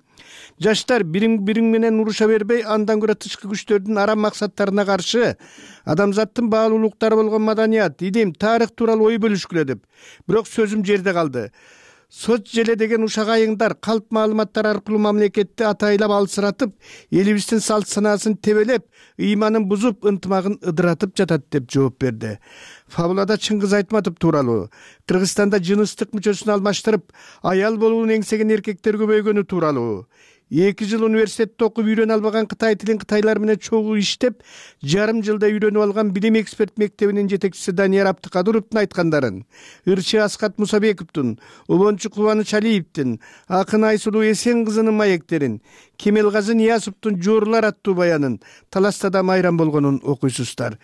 Жаштар бириң бириң менен уруша бербей, андан көрө тышкы күчтөрдүн арам максаттарына каршы адамзаттын баалуулуктары болгон маданият, илим, тарых тууралуу ой бөлүшкүлө деп. Бирок сөзүм жерде калды. Сот желе деген ушак айыңдар калп маалыматтар аркылуу мамлекетти атайлап алсыратып, элибиздин салт санаасын тебелеп, ыйманын бузуп, ынтымагын ыдыратып жатат деп жооп берди. Фабулада Чыңгыз Айтматов тууралуу, Кыргызстанда жыныстык мүчөсүн алмаштырып, аял болуун эңсеген эркектер көбөйгөнү тууралуу, эки жыл университетте окуп үйрөнө албаган кытай тилин кытайлар менен чогуу иштеп, жарым жылда үйрөнүп алган билим эксперт мектебинин жетекчиси Данияр Абдыкадыровдун айткандарын, ырчы Аскат Мусабековдун, обончу Кубаныч Алиевдин, акын Айсулуу Эсен кызынын маектерин, Кемелгазы Ниязовдун Жоорулар аттуу баянын таластада майрам болгонун окуйсуздар.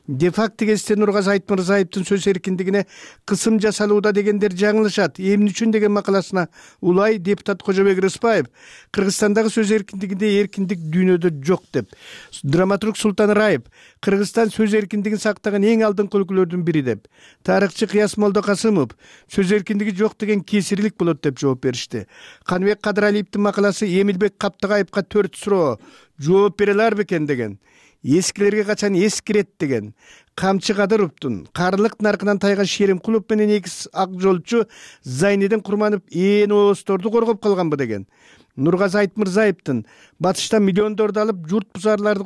Де-факто гезитте Нургазы Айтмырзаевдин сөз эркиндигине кысым жасалууда дегендер жаңылышат. Эмне үчүн деген макаласына улай депутат Кожобек Рыспаев Кыргызстандагы сөз эркиндигинде эркиндик дүйнөдө жок деп. Драматург Султан Раев Кыргызстан сөз эркиндигин сактаган эң алдыңкы өлкөлөрдүн бири деп. Тарыхчы Кыяс Молдокасымов сөз эркиндиги жок деген кесирлик болот деп жооп беришти. Каныбек Кадыралиевдин макаласы Эмилбек Каптыгаевга төрт суроо жооп бере алар бекен деген. Эскилерге качан эскирет деген. Камчы Кадыровдун карлык наркынан тайган Шеримкулов менен экис ак жолчу Зайнидин Курманов ээн оозторду коргоп калганбы деген. Нургазы Айтмырзаевдин батыштан миллиондорду алып журт бузарларды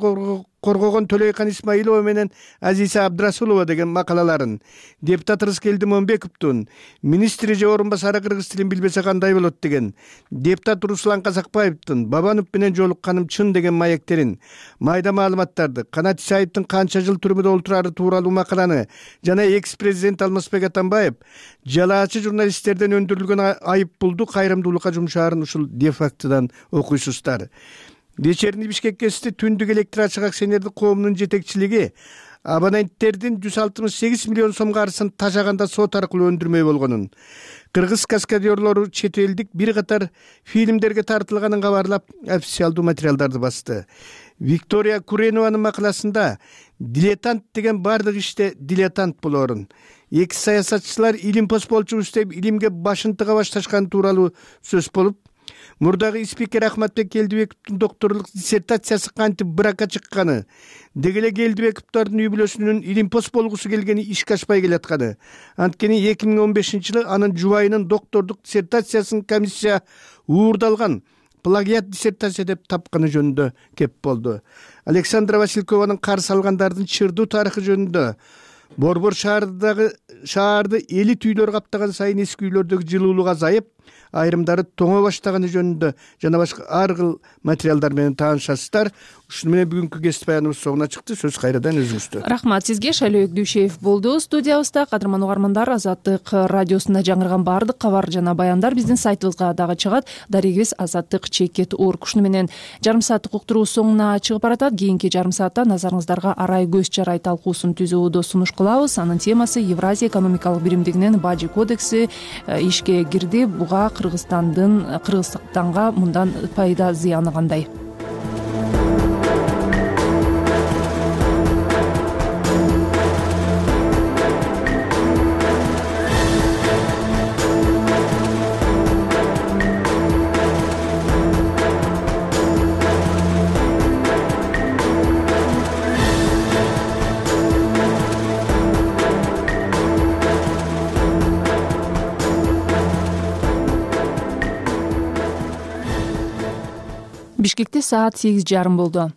коргогон Төлөйкан Исмаилова менен Азиса Абдрасулова деген макалаларын, депутат Рыскелди Момбековдун министри же орун басары кыргыз тилин билбесе кандай болот деген, депутат Руслан Казакбаевдин Бабанов менен жолукканым чын деген маектерин, майда маалыматтарды, Канат Исаевдин канча жыл түрмөдө олтурары тууралуу макаланы жана экс-президент Алмазбек Атамбаев жалаачы журналисттерден өндүрүлгөн айып пулду кайрымдуулукка жумшаарын ушул де-фактодан окуйсуздар. Вечерний Бишкек гезити түндүк электр ачык акционердик коомунун жетекчилиги абоненттердин жүз алтымыш сегиз миллион сом каржысын тажаганда сот аркылуу өндүрмөй болгонун, кыргыз каскадерлору чет элдик бир катар фильмдерге тартылганын кабарлап официалдуу материалдарды басты. Виктория Куренованын макаласында дилетант деген бардык иште дилетант болорун, эки саясатчылар илим пост болчубуз деп илимге башын тыга башташкан тууралуу сөз болуп, мурдагы спикер Ахматбек Келдибековдун докторлук диссертациясы кантип брака чыкканы, деги эле Келдибековдордун үй бүлөсүнүн илим пост болгусу келгени ишке ашпай келатканы. Анткени эки миң он бешинчи жылы анын жубайынын доктордук диссертациясын комиссия уурдалган плагиат диссертация деп тапканы жөнүндө кеп болду. Александра Василькованын карсы алгандардын чырдуу тарыхы жөнүндө Борбор шаардагы шаарды элит үйлөр каптаган сайын эски үйлөрдөгү жылуулук азайып, айрымдары тоңо баштаганы жөнүндө жана башка ар кыл материалдар менен таанышасыздар. Ушуну менен бүгүнкү кесип баяныбыз соңуна чыкты. Сөз кайрадан өзүңүздө. Рахмат сизге. Шайлообек Дүйшеев болду студиябызда. Кадырман угармандар, Азаттык радиосунда жаңырган баардык кабар жана баяндар биздин сайтыбызга дагы чыгат. Дарегибиз азаттык чекит орг. Ушуну менен жарым сааттык уктуруу соңуна чыгып баратат. Кийинки жарым саатта назарыңыздарга арай көз жарай талкуусун түзүүдө сунуш кылабыз. Анын темасы Евразия экономикалык биримдигинин бажы кодекси ишке кирди. Буга Кыргызстандын Кыргызстанга мындан пайда зыяны кандай? Бишкекте саат сегиз жарым болду.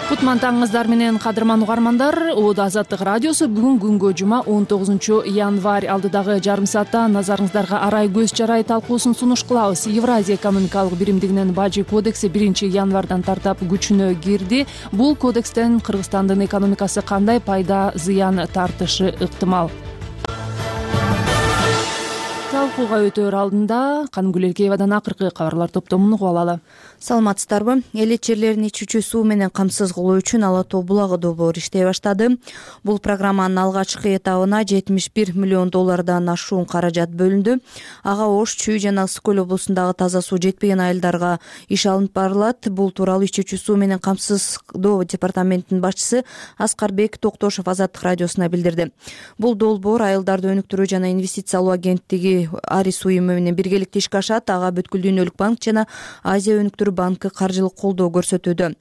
Кутман таңыңыздар менен кадырман угармандар. Оодо Азаттык радиосу бүгүн күнгө жума он тогузунчу январь. Алдыдагы жарым саатта назарыңыздарга арай көз жарай талкуусун сунуш кылабыз. Евразия экономикалык биримдигинин бажы кодекси биринчи январдан тартап күчүнө кирди. Бул кодекстен Кыргызстандын экономикасы кандай пайда зыян тартышы ыктымал? Талкууга өтөр алдында Канымгүл Элкеевадан акыркы кабарлар топтомун угуп алалы. Саламатсыздарбы? Эл ичерлерин ичүүчү суу менен камсыз кылуу үчүн Ала Тоо булагы долбоору иштей баштады. Бул программанын алгачкы этабына жетимиш бир миллион доллардан ашуун каражат бөлүндү. Ага Ош, Чүй жана Ысык көл облусундагы таза суу жетпеген айылдарга иш алынып барылат. Бул тууралуу ичүүчү суу менен камсыздоо департаментинин башчысы Аскарбек Токтошов Азаттык радиосуна билдирди. Бул долбоор айылдарды өнүктүрүү жана инвестициялоо агенттиги Арис уюму менен биргеликте ишке ашат. Ага Бүткүл дүйнөлүк банк жана Азия өнүктүрүү банкы каржылык колдоо көрсөтүүдө.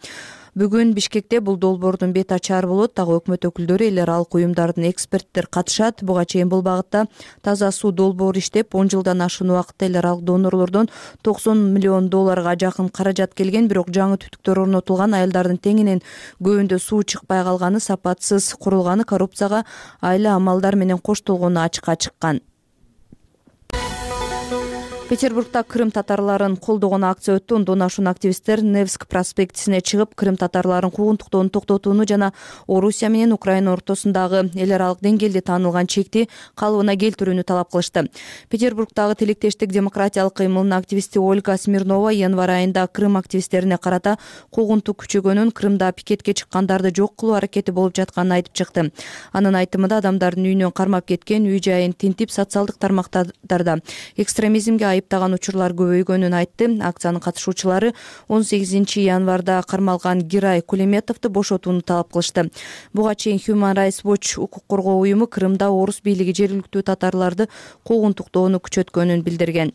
Бүгүн Бишкекте бул долбоордун бет ачары болот. Дагы өкмөт өкүлдөрү, эл аралык уюмдардын эксперттер катышат. Буга чейин бул багытта таза суу долбоору иштеп, он жылдан ашуун убакытта эл аралык донорлордон токсон миллион долларга жакын каражат келген. Бирок жаңы түтүктөр орнотулган, айылдардын теңинен көбүндө суу чыкпай калганы, сапатсыз курулганы, коррупцияга айла амалдар менен коштолгону ачыкка чыккан. Петербургда Крым татарларын колдогон акция өттү. Ондон ашуун активисттер Невск проспектисине чыгып, Крым татарларын куугунтуктоону токтотууну жана Орусия менен Украина ортосундагы эл аралык деңгээлде таанылган чекти калыбына келтирүүнү талап кылышты. Петербургдагы Тилектештик демократиялык кыймылынын активисти Ольга Смирнова январь айында Крым активисттерине карата куугунтук күчөгөнүн, Крымда пикетке чыккандарды жок кылуу аракети болуп жатканын айтып чыкты. Анын айтымында адамдардын үйүнөн кармап кеткен, үй жайын тинтип, социалдык тармактарда экстремизмге айыптаган учурлар көбөйгөнүн айтты. Акциянын катышуучулары он сегизинчи январда кармалган Гирай Кулеметовду бошотууну талап кылышты. Буга чейин Human Rights Watch укук коргоо уюму Крымда орус бийлиги жергиликтүү татарларды куугунтуктоону күчөткөнүн билдирген.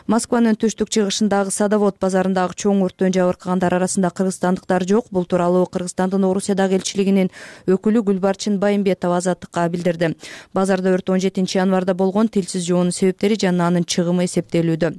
Москванын түштүк-чыгышындагы Садовод базарындагы чоң өрттөн жабыркагандар арасында кыргызстандыктар жок. Бул тууралуу Кыргызстандын Орусиядагы элчилигинин өкүлү Гүлбарчын Байымбетова Азаттыкка билдирди. Базарда өрт он жетинчи январда болгон, тилсиз жоонун себептери жана анын чыгымы эсептелүүдө.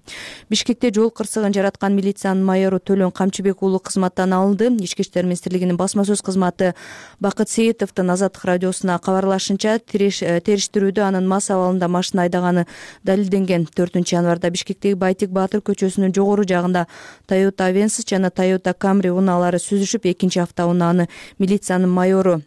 Бишкекте жол кырсыгын жараткан милициянын майору Төлөн Камчыбек уулу кызматтан алынды. Ички иштер министрлигинин басма сөз кызматы Бакыт Сейитовдун Азаттык радиосуна кабарлашынча, териштирүүдө анын мас абалында машина айдаганы далилденген. төртүнчү январда Бишкектеги Байтик Баатыр көчөсүнүн жогору жагында Toyota Avensis жана Toyota Camry унаалары сүзүшүп, экинчи автоунааны милициянын майору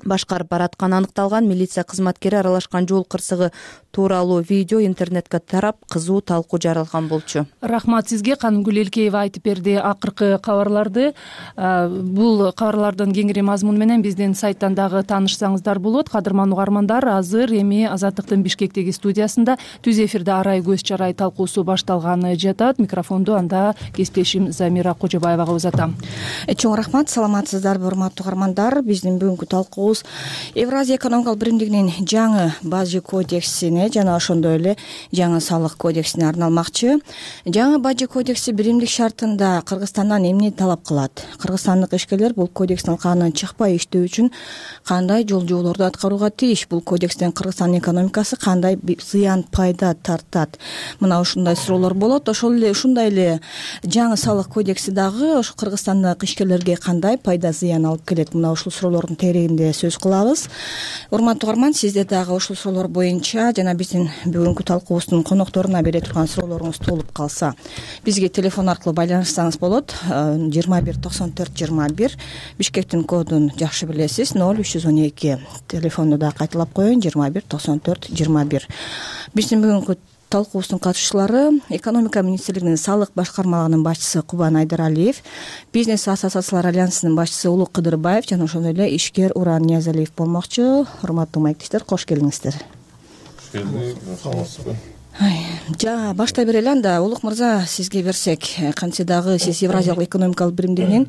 башкарып баратканы аныкталган. Милиция кызматкери аралашкан жол кырсыгы тууралуу видео интернетке тарап, кызуу талкуу жаралган болчу. Рахмат сизге. Канымгүл Элкеева айтып берди акыркы кабарларды. Бул кабарлардын кеңири мазмуну менен биздин сайттан дагы таанышсаңыздар болот. Кадырман угармандар, азыр эми Азаттыктын Бишкектеги студиясында түз эфирде арай көз жарай талкуусу башталганы жатат. Микрофонду анда кесиптешим Замира Кожобаевага узатам. Чоң рахмат. Саламатсыздарбы, урматтуу угармандар. Биздин бүгүнкү талкуубуз Евразия экономикалык биримдигинин жаңы бажы кодексине жана ошондой эле жаңы салык кодексине арналмакчы. Жаңы бажы кодекси биримдик шартында Кыргызстандан эмне талап кылат? Кыргызстандык ишкерлер бул кодекстин канынан чыкпай иштөө үчүн кандай жол жоболорду аткарууга тийиш? Бул кодекстен Кыргызстандын экономикасы кандай зыян пайда тартат? Мына ушундай суроолор болот. Ошол эле ушундай эле жаңы салык кодекси дагы ошо Кыргызстандык ишкерлерге кандай пайда зыян алып келет? Мына ушул суроолордун терегинде сөз кылабыз. Урматтуу угарман, сизде дагы ушул суроолор боюнча жана биздин бүгүнкү талкуубуздун конокторуна бере турган суроолоруңуз болуп калса, бизге телефон аркылуу байланышсаңыз болот. жыйырма бир токсон төрт жыйырма бир Бишкектин кодун жакшы билесиз. ноль үч жүз он эки телефонду да кайталап коеюн. жыйырма бир токсон төрт жыйырма бир. Биздин бүгүнкү талкуубуздун катышуучулары экономика министрлигинин салык башкармалыгынын башчысы Кубан Айдаралиев, бизнес ассоциациялар альянсынын башчысы Улук Кыдырбаев жана ошондой эле ишкер Уран Ниязалиев болмокчу. Урматтуу маектештер, кош келиңиздер. Жа баштай берели анда. Улук мырза, сизге берсек, кантсе дагы сиз Евразиялык экономикалык биримдигинин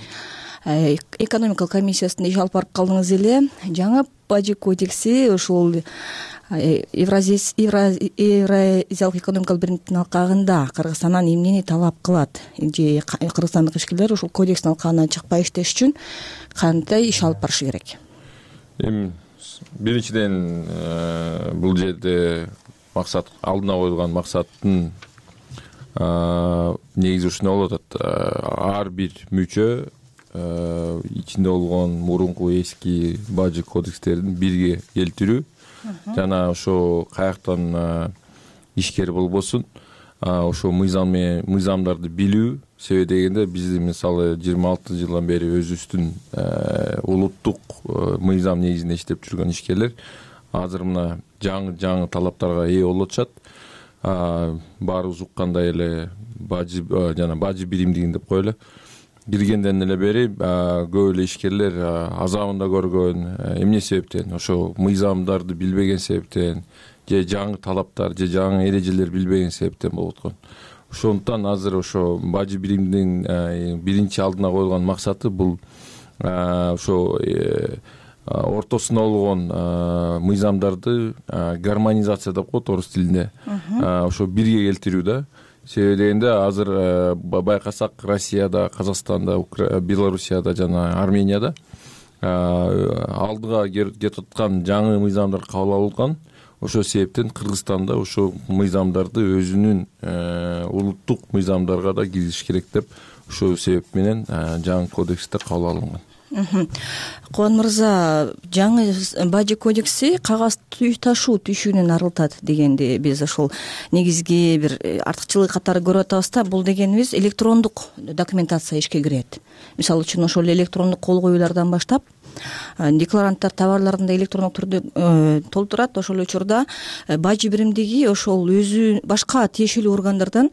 экономикалык комиссиясында иш алып барып калдыңыз эле. Жаңы бажы кодекси ушул Евразиялык экономикалык биримдиктин алкагында Кыргызстандан эмнени талап кылат? Же кыргызстандык ишкерлер ушул кодекстин алкагынан чыкпай иштеш үчүн кандай иш алып барышы керек? Эми биринчиден бул жерде максат, алдына коюлган максаттын негизи ушундай болуп атат. Ар бир мүчө ичинде болгон мурунку эски бажы кодекстерин бирге келтирүү жана ошо каяктан ишкер болбосун, ошо мыйзам мыйзамдарды билүү. Себеби дегенде бизди мисалы жыйырма алты жылдан бери өзүбүздүн улуттук мыйзам негизинде иштеп жүргөн ишкерлер азыр мына жаңы жаңы талаптарга ээ болуп атышат. Баарыбыз уккандай эле бажы жана бажы биримдигин деп коелу. Киргенден эле бери көп эле ишкерлер азабында көргөн. Эмне себептен? Ошо мыйзамдарды билбеген себептен, же жаңы талаптар, же жаңы эрежелер билбеген себептен болуп аткан. Ошондуктан азыр ошо бажы биримдигинин биринчи алдына коюлган максаты бул ошо ортосунда болгон мыйзамдарды гармонизация деп коет орус тилинде. Ошо бирге келтирүү да. Себеби дегенде азыр байкасак Россияда, Казакстанда, Белоруссияда жана Арменияда алдыга кетип аткан жаңы мыйзамдар кабыл алынган. Ошо себептен Кыргызстанда ошо мыйзамдарды өзүнүн улуттук мыйзамдарга да киргизиш керек деп ошол себеп менен жаңы кодекстер кабыл алынган. Кубан мырза, жаңы бажы кодекси кагаз ташуу түйшүгүнөн арылтат дегенди биз ошол негизги бир артыкчылык катары көрүп атабыз да. Бул дегенибиз электрондук документация ишке кирет. Мисалы үчүн ошол электрондук кол коюулардан баштап декларанттар товарларын да электрондук түрдө толтурат. Ошол учурда бажы биримдиги ошол өзү башка тиешелүү органдардан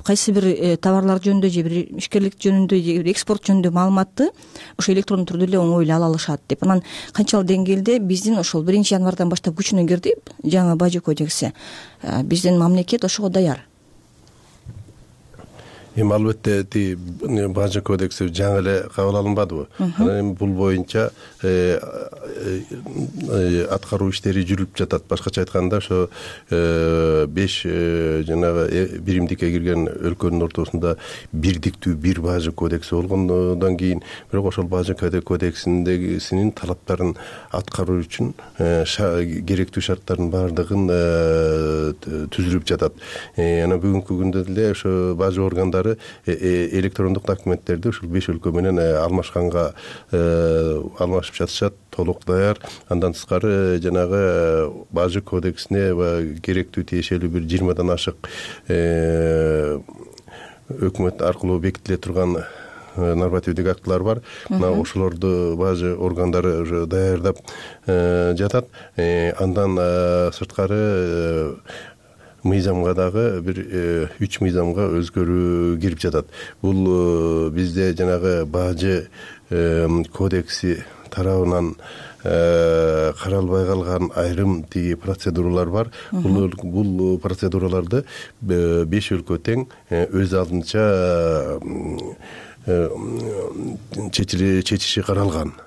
кайсы бир товарлар жөнүндө же бир ишкерлик жөнүндө же бир экспорт жөнүндө маалыматты ошо электрондук түрдө эле оңой эле ала алышат деп. Анан канчалык деңгээлде биздин ошол биринчи январдан баштап күчүнө кирди жаңы бажы кодекси. Биздин мамлекет ошого даяр. Эми албетте ти бажы кодекси жаңы эле кабыл алынбадыбы? Анан эми бул боюнча аткаруу иштери жүрүп жатат. Башкача айтканда ошо беш жанагы биримдикке кирген өлкөнүн ортосунда бирдиктүү бир бажы кодекси болгондон кийин бирок ошол бажы кодексиндегисинин талаптарын аткаруу үчүн керектүү шарттардын баардыгын түзүлүп жатат. Анан бүгүнкү күндө деле ошо бажы органдары электрондук документтерди ушул беш өлкө менен алмашканга алмашып жатышат, толук даяр. Андан тышкары жанагы бажы кодексине керектүү тиешелүү бир жыйырмадан ашык өкмөт аркылуу бекитиле турган нормативдик актылар бар. Мына ошолорду бажы органдары уже даярдап жатат. Андан сырткары мыйзамга дагы бир үч мыйзамга өзгөрүү кирип жатат. Бул бизде жанагы бажы кодекси тарабынан каралбай калган айрым тиги процедуралар бар. Бул бул процедураларды беш өлкө тең өз алдынча чечиши каралган.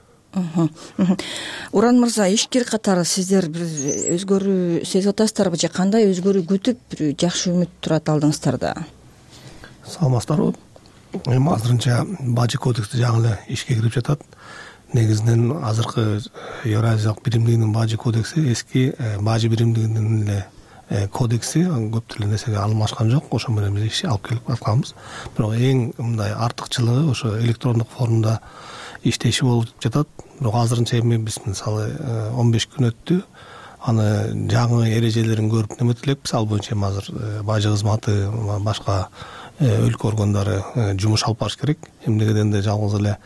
Уран мырза, ишкер катары сиздер бир өзгөрүү сезип атасыздарбы же кандай өзгөрүү күтүп бир жакшы үмүт турат алдыңыздарда? Саламатсыздарбы? Эми азырынча бажы кодекси жаңы эле ишке кирип жатат. Негизинен азыркы Евразиялык биримдигинин бажы кодекси эски бажы биримдигинин эле кодекси көп деле нерсеге алмашкан жок. Ошо менен биз иш алып келип атканбыз. Бирок эң мындай артыкчылыгы ошо электрондук формда иштеши болуп жатат. Бирок азырынча эми биз мисалы он беш күн өттү, аны жаңы эрежелерин көрүп неметип элекпиз. Ал боюнча эми азыр бажы кызматы, башка өлкө органдары жумуш алып барыш керек. Эмнегеден де жалгыз эле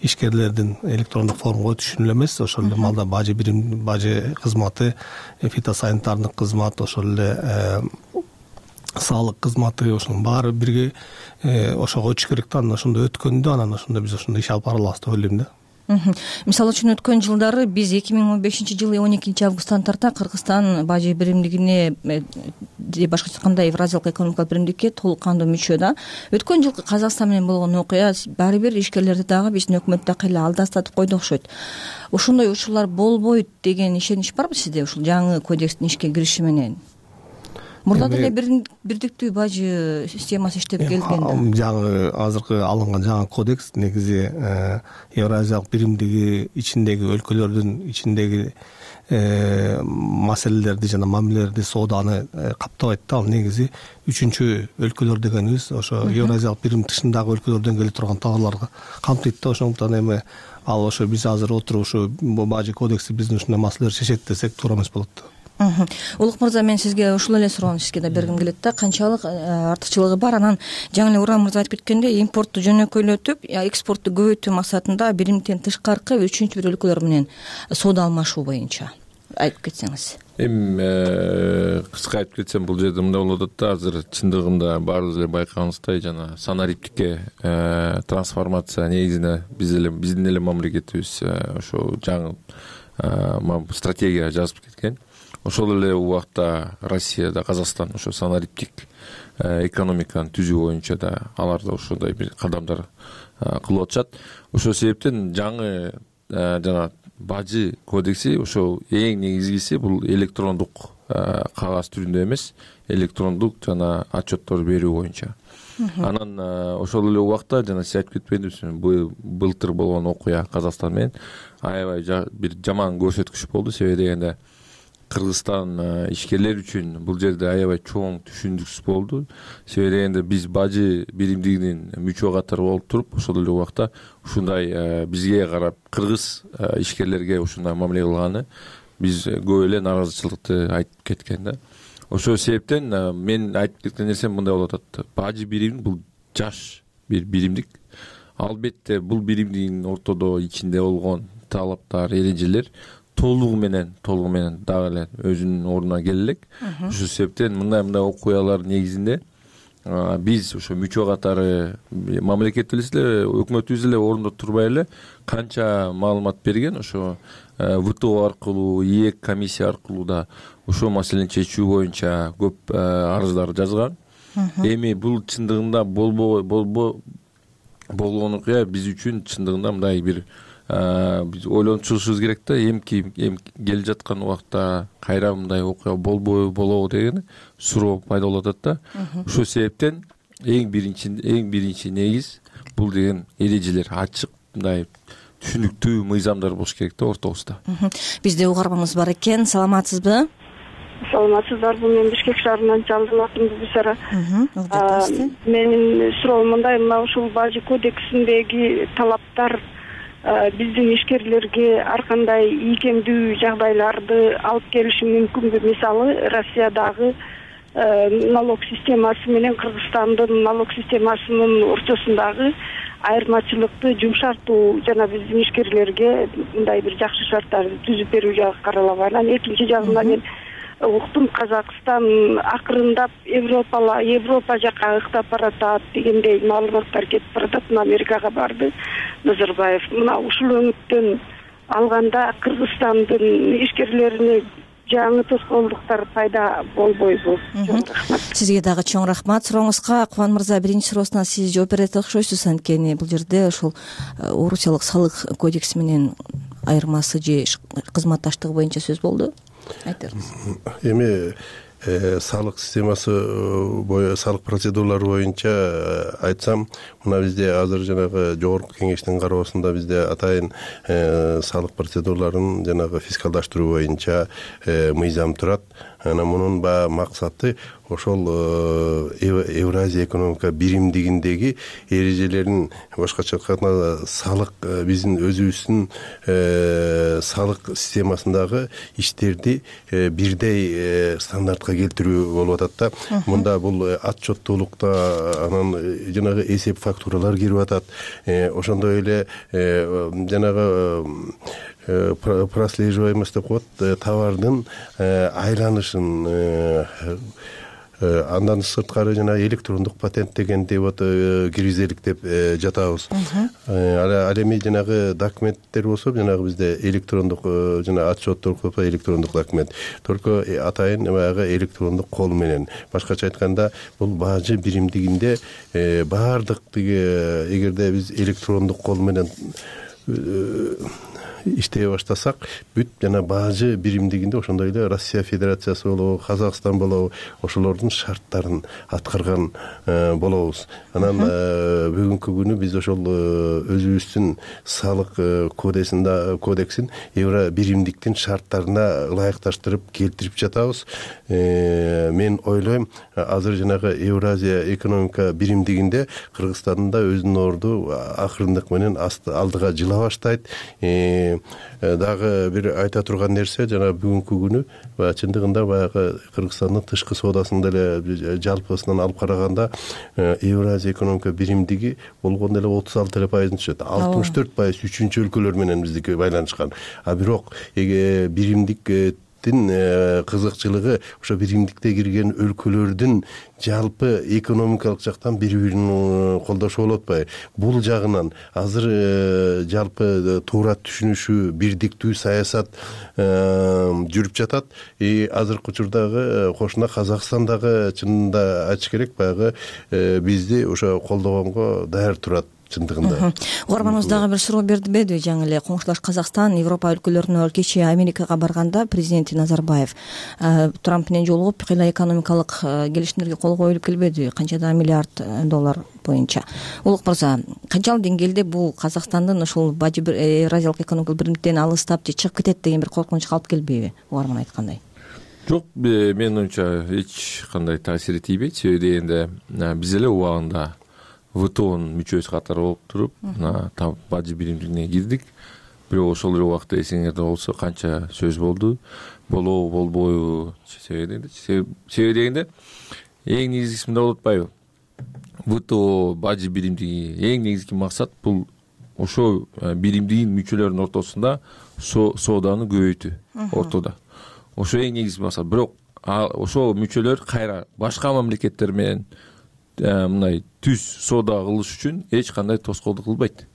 ишкерлердин электрондук формага өтүшүн эле эмес, ошол эле малда бажы бирим, бажы кызматы, фитосанитардык кызмат, ошол эле саалык кызматы, ошонун баары бирге ошого өтүш керек да. Анан ошондо өткөндө анан ошондо биз ошондо иш алып бара алабыз деп ойлойм да. Мисалы үчүн өткөн жылдары биз эки миң он бешинчи жылы он экинчи августтан тарта Кыргызстан бажы биримдигине же башкача айтканда Евразиялык экономикалык биримдикке толук кандуу мүчө да. Өткөн жылкы Казакстан менен болгон окуя баары бир ишкерлерди дагы биздин өкмөт дагы эле алдастатып койду окшойт. Ошондой учурлар болбойт деген ишенич барбы сизде ушул жаңы кодекстин ишке кириши менен? Мурда деле бирдиктүү бажы системасы иштеп келген да. Жаңы азыркы алынган жаңы кодекс негизи Евразиялык биримдиги ичиндеги өлкөлөрдүн ичиндеги маселелерди жана мамилелерди, сооданы каптабайт да. Ал негизи үчүнчү өлкөлөр дегенибиз ошо Евразиялык бирим тышындагы өлкөлөрдөн келе турган товарларга камтыйт да. Ошондуктан эми ал ошо биз азыр отуруп ушу бажы кодекси биздин ушундай маселелерди чечет десек туура эмес болот да. Улук мырза, мен сизге ушул эле суроону сизге да бергим келет да. Канчалык артыкчылыгы бар? Анан жаңы эле Уран мырза айтып кеткендей, импортту жөнөкөйлөтүп, экспортту көбөйтүү максатында биримдиктен тышкаркы үчүнчү бир өлкөлөр менен соода алмашуу боюнча айтып кетсеңиз. Эми кыска айтып кетсем, бул жерде мындай болуп атат да. Азыр чындыгында баарыбыз эле байкагансыздай жана санариптикке трансформация негизинде биз эле биздин эле мамлекетибиз ошо жаңы стратегия жазып кеткен. Ошол эле убакта Россияда, Казакстан ошо санариптик экономиканы түзүү боюнча да алар да ошондой бир кадамдар кылып атышат. Ошол себептен жаңы жана бажы кодекси ошол эң негизгиси бул электрондук кагаз түрүндө эмес, электрондук жана отчеттор берүү боюнча. Анан ошол эле убакта жана сиз айтып кетпедиңизби, былтыр болгон окуя Казакстан менен аябай бир жаман көрсөткүч болду. Себеби дегенде Кыргызстан ишкерлер үчүн бул жерде аябай чоң түшүндүксүз болду. Себеби дегенде биз бажы биримдигинин мүчө катары болуп туруп, ошол эле убакта ушундай бизге карап кыргыз ишкерлерге ушундай мамиле кылганы биз көп эле нааразычылыкты айтып кеткен да. Ошол себептен мен айтып кеткен нерсем мындай болуп атат. Бажы бирим бул жаш бир биримдик. Албетте бул биримдигинин ортодо ичинде болгон талаптар, эрежелер толугу менен толугу менен дагы эле өзүнүн ордуна келе элек. Ошол себептен мындай мындай окуялар негизинде биз ошо мүчө катары мамлекет эле, өкмөтүбүз эле ордундо турбай эле канча маалымат берген, ошо ВТО аркылуу, ИЭК комиссия аркылуу да ошол маселени чечүү боюнча көп арыздар жазган. Эми бул чындыгында болбой болбо болгон окуя биз үчүн чындыгында мындай бир биз ойлонуп чыгышыбыз керек да. Эмки эми келе жаткан убакта кайра мындай окуя болбойбу, болобу деген суроо пайда болуп атат да. Ошол себептен эң биринчи эң биринчи негиз бул деген эрежелер ачык, мындай түшүнүктүү мыйзамдар болуш керек да ортобузда. Бизде угарманыбыз бар экен. Саламатсызбы? Саламатсыздарбы? Мен Бишкек шаарынан Жалдын атым Бибисара. Менин суроом мындай, мына ушул бажы кодексиндеги талаптар биздин ишкерлерге ар кандай ийкемдүү жагдайларды алып келиши мүмкүнбү? Мисалы, Россиядагы налог системасы менен Кыргызстандын налог системасынын ортосундагы айырмачылыкты жумшартуу жана биздин ишкерлерге мындай бир жакшы шарттарды түзүп берүү жагы каралабы? Анан экинчи жагынан мен уктум, Казакстан акырындап Европала Европа жака ыктап баратат дегендей маалыматтар кетип баратат. Америкага барды Назарбаев. Мына ушул өңүттөн алганда Кыргызстандын ишкерлерине жаңы тоскоолдуктар пайда болбойбу? Сизге дагы чоң рахмат. Сурооңузга Кубан мырза биринчи суроосуна сиз жооп берет окшойсуз. Анткени бул жерде ушул Орусиялык салык кодекси менен айырмасы же кызматташтыгы боюнча сөз болду. Айтыңыз. Эми салык системасы салык процедуралары боюнча айтсам, мына бизде азыр жанагы жогорку кеңештин кароосунда бизде атайын салык процедураларын жанагы фискалдаштыруу боюнча мыйзам турат. анан мунун баягы максаты ошол Евразия экономика биримдигиндеги эрежелерин, башкача айтканда салык, биздин өзүбүздүн салык системасындагы иштерди бирдей стандартка келтирүү болуп атат да. Мында бул отчеттуулукта анан жанагы эсеп фактуралар кирип атат. Ошондой эле жанагы прослеживаемость деп коет, товардын айланышын, андан сырткары жана электрондук патент дегенди вот киргизелик деп жатабыз. Ал эми жанагы документтер болсо, жанагы бизде электрондук жана отчеттор коюп электрондук документ, только атайын баягы электрондук кол менен. Башкача айтканда, бул бажы биримдигинде баардык эгерде биз электрондук кол менен иштей баштасак, бүт жана бажы биримдигинде ошондой эле Россия Федерациясы болобу, Казакстан болобу, ошолордун шарттарын аткарган болобуз. Анан бүгүнкү күнү биз ошол өзүбүздүн салык кодексинде кодексин евро биримдиктин шарттарына ылайыкташтырып келтирип жатабыз. Мен ойлойм, азыр жанагы Евразия экономика биримдигинде Кыргызстандын да өзүнүн орду акырындык менен алдыга жыла баштайт. Дагы бир айта турган нерсе, жана бүгүнкү күнү чындыгында баягы Кыргызстандын тышкы соодасында эле жалпысынан алып караганда Евразия экономика биримдиги болгондо эле отуз алты эле пайызын түшөт. алтымыш төрт пайыз үчүнчү өлкөлөр менен биздики байланышкан. А бирок биримдик кызыкчылыгы ошо биримдикте кирген өлкөлөрдүн жалпы экономикалык жактан бири бирин колдошуп болуп атпайбы? Бул жагынан азыр жалпы туура түшүнүшүү, бирдиктүү саясат жүрүп жатат. И азыркы учурдагы кошуна Казакстандагы, чынында айтыш керек, баягы бизди ошо колдогонго даяр турат. Чындыгында угарманыбыз дагы бир суроо бердиби? Жаңы эле коңшулаш Казакстан, Европа өлкөлөрүнө кечээ Америкага барганда президенти Назарбаев Трамп менен жолугуп, кыйла экономикалык келишимдерге кол коюлуп келбеди, канчада миллиард доллар боюнча. Улук мырза, канчалык деңгээлде бул Казакстандын ушул бажы Евразиялык экономикалык биримдиктен алыстап же чыгып кетет деген бир коркунучка алып келбейби, угарман айткандай? Жок, менин оюмча эч кандай таасири тийбейт. Себеби дегенде биз эле убагында ВТОнун мүчөсү катары болуп туруп, бажы биримдигине кирдик. Бирок ошол эле убакта эсиңерде болсо канча сөз болду, болобу, болбойбу, себеби дегенде эң негизгиси мындай болуп атпайбы? ВТО бажы биримдиги эң негизги максат бул ошо биримдигин мүчөлөрүнүн ортосунда сооданы көбөйтүү ортодо. Ошо эң негизги максат. Бирок ошо мүчөлөр кайра башка мамлекеттер менен мындай түз соода кылыш үчүн эч кандай тоскоолдук кылбайт.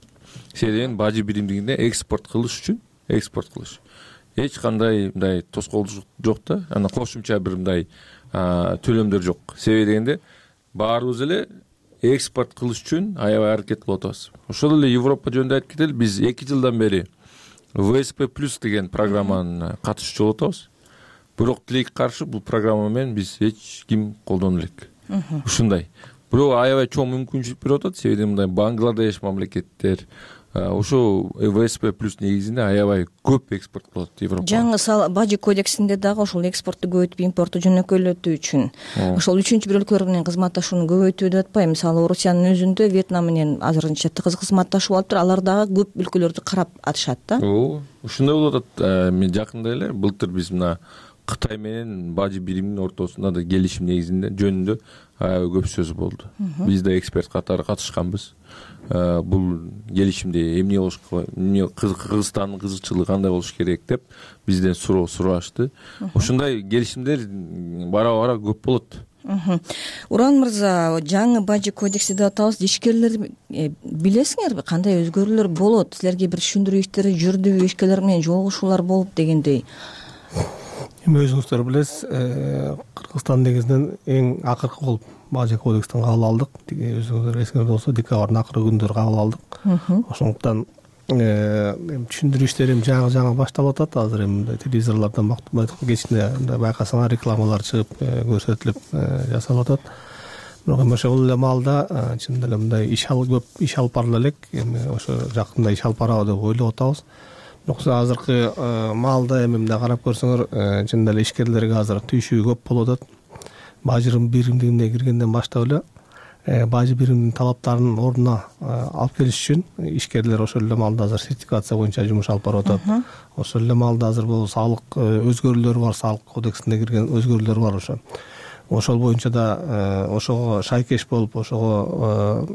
Себеби бажы биримдигинде экспорт кылыш үчүн, экспорт кылыш эч кандай мындай тоскоолдук жок да. Анан кошумча бир мындай төлөмдөр жок. Себеби дегенде баарыбыз эле экспорт кылыш үчүн аябай аракет кылып атабыз. Ошол эле Европа жөнүндө айтып кетели, биз эки жылдан бери вэ эс пэ плюс деген программанын катышуучу болуп атабыз. Бирок тилекке каршы бул программа менен биз эч ким колдоно элек. Ушундай. Бирок аябай чоң мүмкүнчүлүк берип атат. Себеби мындай Бангладеш мамлекеттер ошо вэ эс пэ плюс негизинде аябай көп экспорт кылат Европага. Жаңы бажы кодексинде дагы ошол экспортту көбөйтүп, импортту жөнөкөйлөтүү үчүн ошол үчүнчү бир өлкөлөр менен кызматташууну көбөйтүү деп атпайбы? Мисалы, Орусиянын өзүндө Вьетнам менен азырынча тыгыз кызматташуу алып тур, алар дагы көп өлкөлөрдү карап атышат да. Ооба, ушундай болуп атат. Мен жакында эле былтыр биз мына Кытай менен бажы биримдин ортосунда да келишим негизинде жөнүндө аябай көп сөз болду. Биз да эксперт катары катышканбыз. Бул келишимде эмне болуш, Кыргызстандын кызыкчылыгы кандай болуш керек деп бизден суроо сурашты. Ошондой келишимдер бара-бара көп болот. Уран мырза, жаңы бажы кодекси деп атабыз. Ишкерлер билесиңерби кандай өзгөрүүлөр болот? Силерге бир түшүндүрүү иштери жүрдүбү, ишкерлер менен жолугушуулар болуп дегендей? Эми өзүңүздөр билесиз, Кыргызстан негизинен эң акыркы болуп бажы кодекстин кабыл алдык. Өзүңүздөр эсиңерде болсо, декабрдын акыркы күндөрү кабыл алдык. Ошондуктан эми түшүндүрүү иштери жаңы жаңы башталып атат. Азыр эми телевизорлордон кечинде байкасаңар рекламалар чыгып көрсөтүлүп жасалып атат. Бирок эми ошол эле маалда чындап эле мындай иш алып көп иш алып барыла элек. Эми ошо жакында иш алып барабы деп ойлоп атабыз. жоксо азыркы маалда эми мындай карап көрсөңөр чын эле ишкерлерге азыр түйшүү көп болуп атат. Бажы биримдигине киргенден баштап эле бажы биримдигинин талаптарын ордуна алып келиш үчүн ишкерлер ошол эле маалда азыр сертификация боюнча жумуш алып барып атат. Ошол эле маалда азыр бул салык өзгөрүүлөр бар, салык кодексине кирген өзгөрүүлөр бар ошо. Ошол боюнча да ошого шайкеш болуп, ошого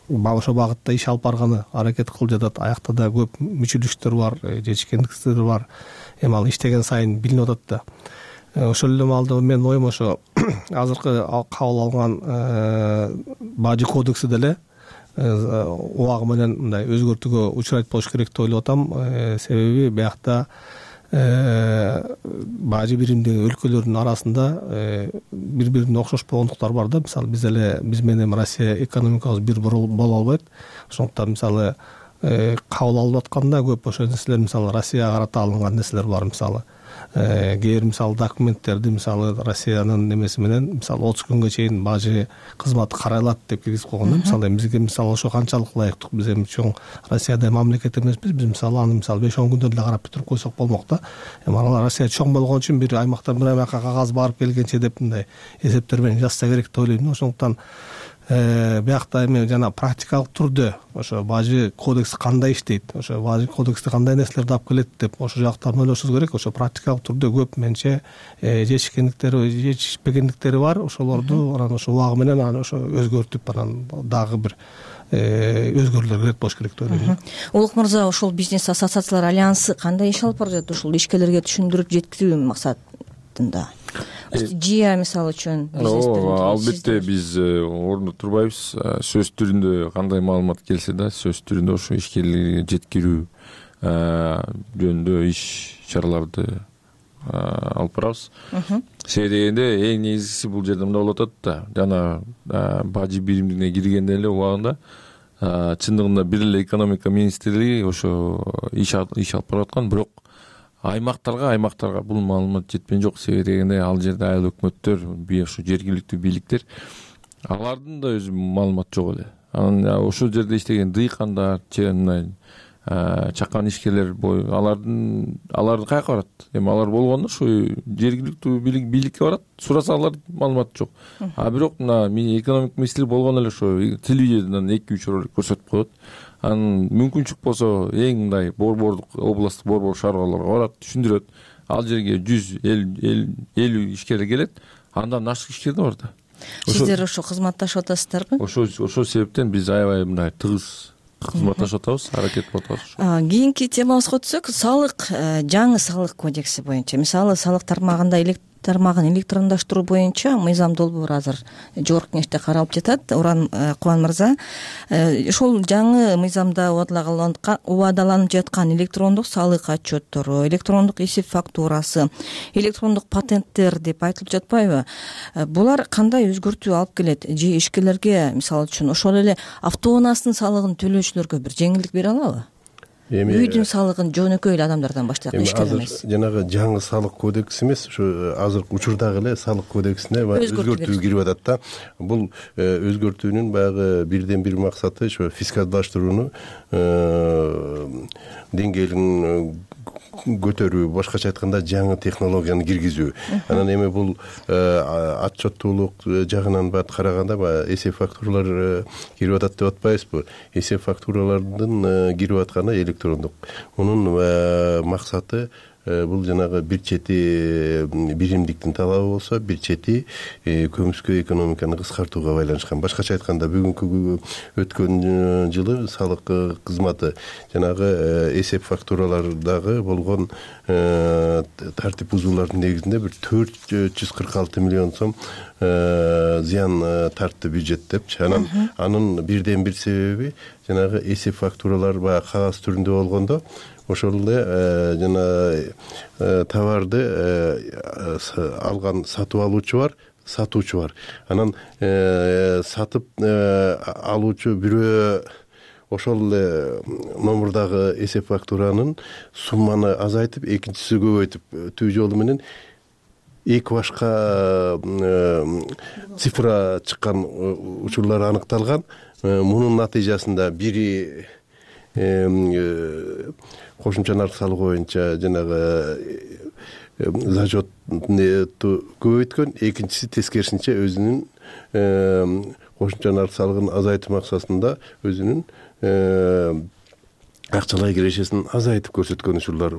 ошол багытта иш алып барганы аракет кылып жатат. Аякта да көп мүчүлүштөр бар, жетишкендиктер бар. Эми ал иштеген сайын билинип атат да. Ошол эле маалда менин оюм ошо азыркы кабыл алган бажы кодекси деле убагы менен мындай өзгөртүүгө учурайт болуш керек деп ойлоп атам. Себеби биякта бажы биримдиги өлкөлөрдүн арасында бири бирине окшош болгондуктар бар да. Мисалы биз эле биз менен Россия экономикабыз бир боло албайт. Ошондуктан мисалы кабыл алып атканда көп ошол нерселер мисалы Россияга карата алынган нерселер бар. Мисалы кээ бир мисалы документтерди мисалы Россиянын немеси менен мисалы отуз күнгө чейин бажы кызматы каралат деп киргизип койгон да. Мисалы бизге мисалы ошо канчалык ылайыктуу, биз эми чоң Россиядай мамлекет эмеспиз. Биз мисалы аны мисалы беш он күндө эле карап бүтүрүп койсок болмок да. Эми алар Россия чоң болгон үчүн бир аймактан бир аймакка кагаз барып келгенче деп мындай эсептер менен жазса керек деп ойлойм. Ошондуктан биякта эми жана практикалык түрдө ошо бажы кодекси кандай иштейт, ошо бажы кодексте кандай нерселерди алып келет деп ошо жактарын ойлошубуз керек. Ошо практикалык түрдө көп менче жетишкендиктери, жетишпегендиктери бар. Ошолорду анан ошо убагы менен анан ошо өзгөртүп анан дагы бир өзгөрүүлөр керек болуш керек деп ойлойм. Улук мырза, ошол бизнес ассоциациялар альянсы кандай иш алып барып жатат ушул ишкерлерге түшүндүрүп жеткирүү максатында? Жия мисалы үчүн албетте биз ордундо турбайбыз. Сөз түрүндө кандай маалымат келсе да сөз түрүндө ошо ишкерлерге жеткирүү жөнүндө иш чараларды алып барабыз. Себеби дегенде эң негизгиси бул жерде мындай болуп атат да. Жана бажы биримдигине киргенде эле убагында чындыгында бир эле экономика министрлиги ошо иш алып барып аткан, бирок аймактарга аймактарга бул маалымат жеткен жок. Себеби дегенде ал жерде айыл өкмөттөр, ушу жергиликтүү бийликтер, алардын да өзү маалымат жок эле. Анан ошол жерде иштеген дыйкандар, мындай чакан ишкерлер алардын алар каяка барат? Эми алар болгондо ушу жергиликтүү бийликке барат, сураса алар маалымат жок. А бирок мына экономик министрлик болгондо эле ошо телевидениеден эки үч ролик көрсөтүп коет. Анан мүмкүнчүлүк болсо эң мындай борбордук, областтык борбор шаарларга барат, түшүндүрөт. Ал жерге жүз элүү ишкер келет, андан ашык ишкер да бар да. Сиздер ошо кызматташып атасыздарбы? Ошо ошол себептен биз аябай мындай тыгыз кызматташып атабыз, аракет кылып атабыз. Кийинки темабызга өтсөк, салык, жаңы салык кодекси боюнча, мисалы салык тармагында тармагын электрондоштуруу боюнча мыйзам долбоор азыр жогорку кеңеште каралып жатат. Уран Кубан мырза, ошол жаңы мыйзамда убадаланып жаткан электрондук салык отчеттору, электрондук эсеп фактурасы, электрондук патенттер деп айтылып жатпайбы? Булар кандай өзгөртүү алып келет? Же ишкерлерге мисалы үчүн ошол эле автоунаанын салыгын төлөөчүлөргө бир жеңилдик бере алабы? Үйдүн салыгын жөнөкөй эле адамдардан баштап ишкер эмес. Жанагы жаңы салык кодекси эмес, ушу азыркы учурдагы эле салык кодексине өзгөртүү кирип атат да. Бул өзгөртүүнүн баягы бирден бир максаты ошо фискалдаштырууну деңгээлин көтөрүү, башкача айтканда жаңы технологияны киргизүү. Анан эми бул отчеттуулук жагынан бат караганда баягы эсеп фактуралар кирип атат деп атпайбызбы? Эсеп фактуралардын кирип атканы электрондук. Мунун максаты бул жанагы бир чети биримдиктин талабы болсо, бир чети көмүскө экономиканы кыскартууга байланышкан. Башкача айтканда бүгүнкү өткөн жылы салык кызматы жанагы эсеп фактуралардагы болгон тартип бузуулардын негизинде бир төрт жүз кырк алты миллион сом зыян тартты бюджет депчи. Анан анын бирден бир себеби жанагы эсеп фактуралар баягы кагаз түрүндө болгондо ошол эле жана товарды алган сатып алуучу бар, сатуучу бар. Анан сатып алуучу бирөө ошол эле номурдагы эсеп фактуранын сумманы азайтып, экинчиси көбөйтүп, түбү жолу менен эки башка цифра чыккан учурлар аныкталган. Мунун натыйжасында бири кошумча нарк салыгы боюнча жанагы зачетту көбөйткөн, экинчиси тескерисинче өзүнүн кошумча нарк салыгын азайтуу максатында өзүнүн акчалай кирешесин азайтып көрсөткөн учурлар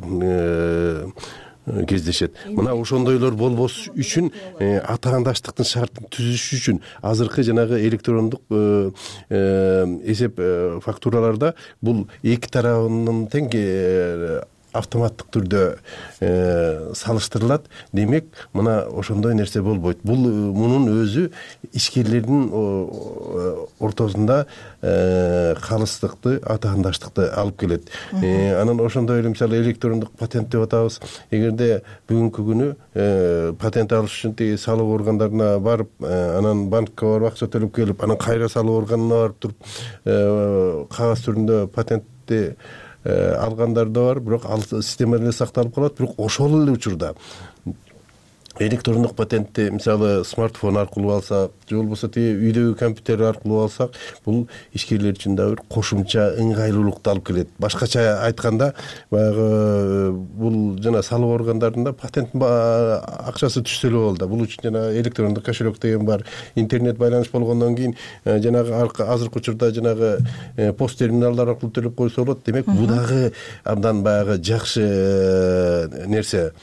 кездешет. Мына ошондойлор болбош үчүн атаандаштыктын шартын түзүш үчүн азыркы жанагы электрондук эсеп фактураларда бул эки тарабынын тең автоматтык түрдө салыштырылат. Демек, мына ошондой нерсе болбойт. Бул мунун өзү ишкерлердин ортосунда калыстыкты, атаандаштыкты алып келет. Анан ошондой эле мисалы электрондук патент деп атабыз. Эгерде бүгүнкү күнү патент алыш үчүн тиги салык органдарына барып, анан банкка барып акча төлөп келип, анан кайра салык органына барып туруп кагаз түрүндө патентти алгандар да бар, бирок ал система эле сакталып калат. Бирок ошол эле учурда электрондук патентти мисалы смартфон аркылуу алсак, же болбосо тиги үйдөгү компьютер аркылуу алсак, бул ишкерлер үчүн да бир кошумча ыңгайлуулукту алып келет. Башкача айтканда, баягы бул жана салык органдарында патенттин акчасы түшсө эле болду. Бул үчүн жана электрондук кошелек деген бар, интернет байланыш болгондон кийин жанагы азыркы учурда жанагы пост терминалдар аркылуу төлөп койсо болот. Демек, бул дагы абдан баягы жакшы нерсе.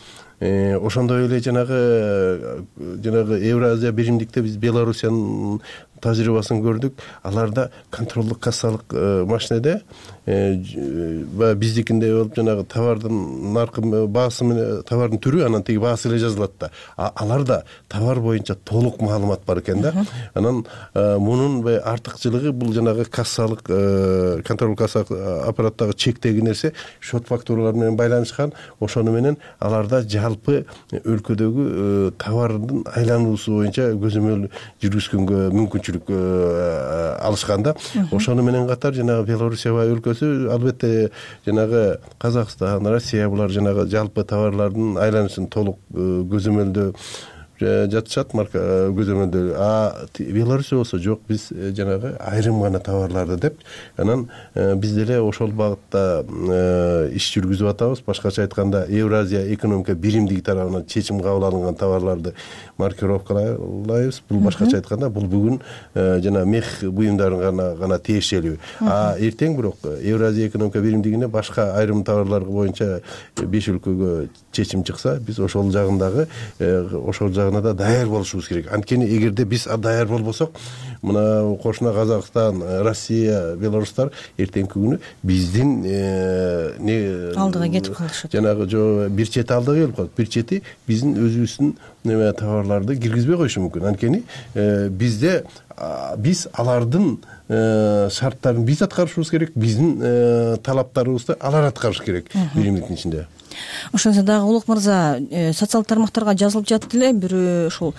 Ошондой эле жанагы жанагы Евразия биримдикте биз Белоруссиянын тажрыйбасын көрдүк. Аларда контролдук кассалык машинеде баягы биздикиндей болуп жанагы товардын наркы баасы менен товардын түрү, анан тиги баасы эле жазылат да. Аларда товар боюнча толук маалымат бар экен да. Анан мунун артыкчылыгы бул жанагы кассалык контролдук кассалык аппараттагы чектеги нерсе шот фактуралар менен байланышкан. Ошону менен аларда жалпы өлкөдөгү товардын айлануусу боюнча көзөмөл жүргүзгөнгө мүмкүнчүлүк алышканда. Ошону менен катар жанагы Белоруссия өлкөсү, албетте жанагы Казакстан, Россия булар жанагы жалпы товарлардын айланышын толук көзөмөлдөө жатышат, марка көзөмөлдө. А Белоруссия болсо жок, биз жанагы айрым гана товарларды деп, анан биз деле ошол багытта иш жүргүзүп атабыз. Башкача айтканда, Евразия экономика биримдиги тарабынан чечим кабыл алынган товарларды маркировкалайбыз. Бул башкача айтканда, бул бүгүн жана мех буюмдарына гана тиешелүү. А эртең бирок Евразия экономика биримдигине башка айрым товарлар боюнча беш өлкөгө чечим чыкса, биз ошол жагындагы ошол жагына да даяр болушубуз керек. Анткени эгерде биз даяр болбосок, мына кошуна Казакстан, Россия, Белорустар эртеңки күнү биздин не алдыга кетип калышат. Жанагы жо бир чети алдыга келип калат. Бир чети биздин өзүбүздүн неме товарларды киргизбей коюшу мүмкүн. Анткени бизде биз алардын шарттарын биз аткарышыбыз керек, биздин талаптарыбызды алар аткарыш керек биримдиктин ичинде. Ошондо дагы Улук мырза, социалдык тармактарга жазылып жатты эле, бир ушул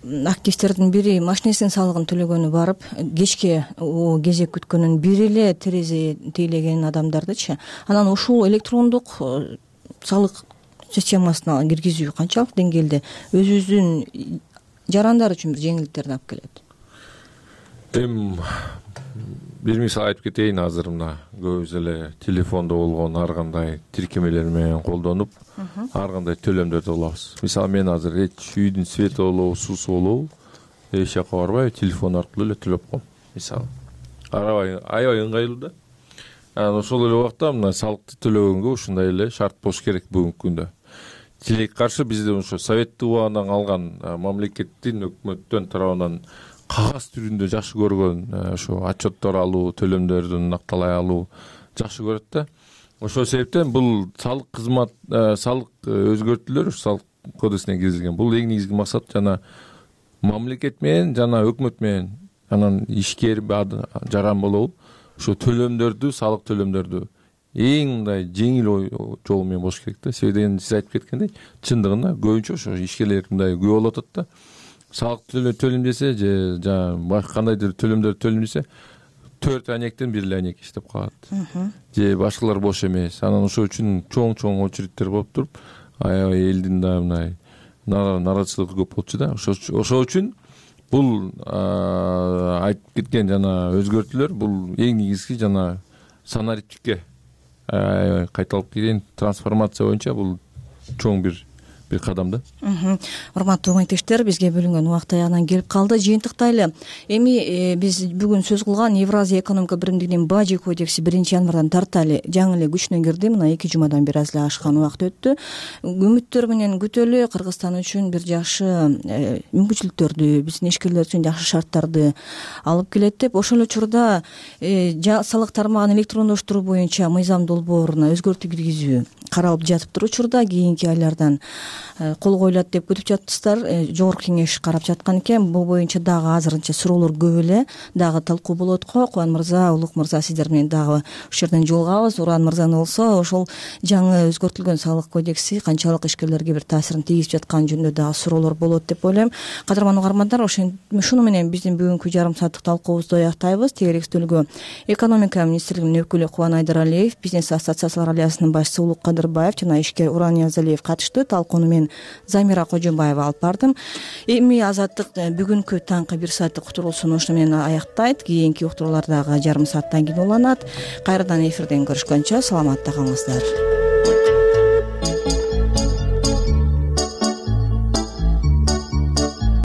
активисттердин бири машинесинин салыгын төлөгөнү барып, кечке кезек күткөнүн бири эле терезе тейлеген адамдардычы. Анан ушул электрондук салык системасына киргизүү канчалык деңгээлде өзүбүздүн жарандар үчүн бир жеңилдиктерди алып келет? Эми бир мисал айтып кетейин. Азыр мына көбүбүз эле телефондо болгон ар кандай тиркемелер менен колдонуп, ар кандай төлөмдөрдү кылабыз. Мисалы мен азыр эч үйдүн свети болобу, суусу болобу, эч жака барбай телефон аркылуу эле төлөп коем. Мисалы аябай аябай ыңгайлуу да. Анан ошол эле убакта мына салыкты төлөгөнгө ушундай эле шарт болуш керек бүгүнкү күндө. Тилекке каршы бизде ошо советтик убагынан калган мамлекеттин, өкмөттөн тарабынан кагаз түрүндө жакшы көргөн ошо отчеттор алуу, төлөмдөрдүн накталай алуу жакшы көрөт да. Ошол себептен бул салык кызмат, салык өзгөртүүлөр салык кодексине киргизилген. Бул эң негизги максат жана мамлекет менен жана өкмөт менен, анан ишкер жаран болобу, ошо төлөмдөрдү, салык төлөмдөрдү эң мындай жеңил жол менен болуш керек да. Себеби сиз айтып кеткендей, чындыгында көбүнчө ошо ишкерлер мындай күбө болуп атат да. Салык төлөм десе же жана кандайдыр төлөмдөр төлөм десе төрт анектен бир эле анек иштеп калат. Же башкалар бош эмес. Анан ошол үчүн чоң-чоң очередтер болуп туруп, аябай элдин да мындай нараачылыгы көп болчу да. Ошол үчүн бул айтып кеткен жана өзгөртүүлөр бул эң негизги жана санариптикке кайталып келген трансформация боюнча бул чоң бир бир кадам да. Урматтуу угунтештер, бизге бөлүнгөн убакыт аягына келип калды. Жыйынтыктайлы. Эми биз бүгүн сөз кылган Евразия экономика биримдигинин бажы кодекси биринчи январдан тарта эле жаңы эле күчүнө кирди. Мына эки жумадан бери аз эле ашкан убакыт өттү. Үмүттөр менен күтөлү. Кыргызстан үчүн бир жакшы мүмкүнчүлүктөрдү, биздин ишкерлер үчүн жакшы шарттарды алып келет деп. Ошол эле учурда салык тармагын электрондоштуруу боюнча мыйзам долбооруна өзгөртүү киргизүү каралып жатыптыр учурда. Кийинки айлардан кол коюлат деп күтүп жатыпсыздар. Жогорку кеңеш карап жаткан экен. Бул боюнча дагы азырынча суроолор көп эле. Дагы талкуу болот го. Кубан мырза, Улук мырза, сиздер менен дагы ушул жерден жолугабыз. Уран мырзаны болсо ошол жаңы өзгөртүлгөн салык кодекси канчалык ишкерлерге бир таасирин тийгизип жатканы жөнүндө дагы суроолор болот деп ойлойм. Кадырман угармандар, ушуну менен биздин бүгүнкү жарым сааттык талкуубузду аяктайбыз. Тегерек стөлгө экономика министрлигинин өкүлү Кубан Айдаралиев, бизнес ассоциациялар аллеясынын башчысы Улук Кадырбаев жана ишкер Уран Ниязалиев катышты. Талкууну мен Замира Кожомбаева алып бардым. Эми Азаттык бүгүнкү таңкы бир сааттык уктуруусун ушуну менен аяктайт. Кийинки уктуруулар дагы жарым сааттан кийин уланат. Кайрадан эфирден көрүшкөнчө саламатта калыңыздар.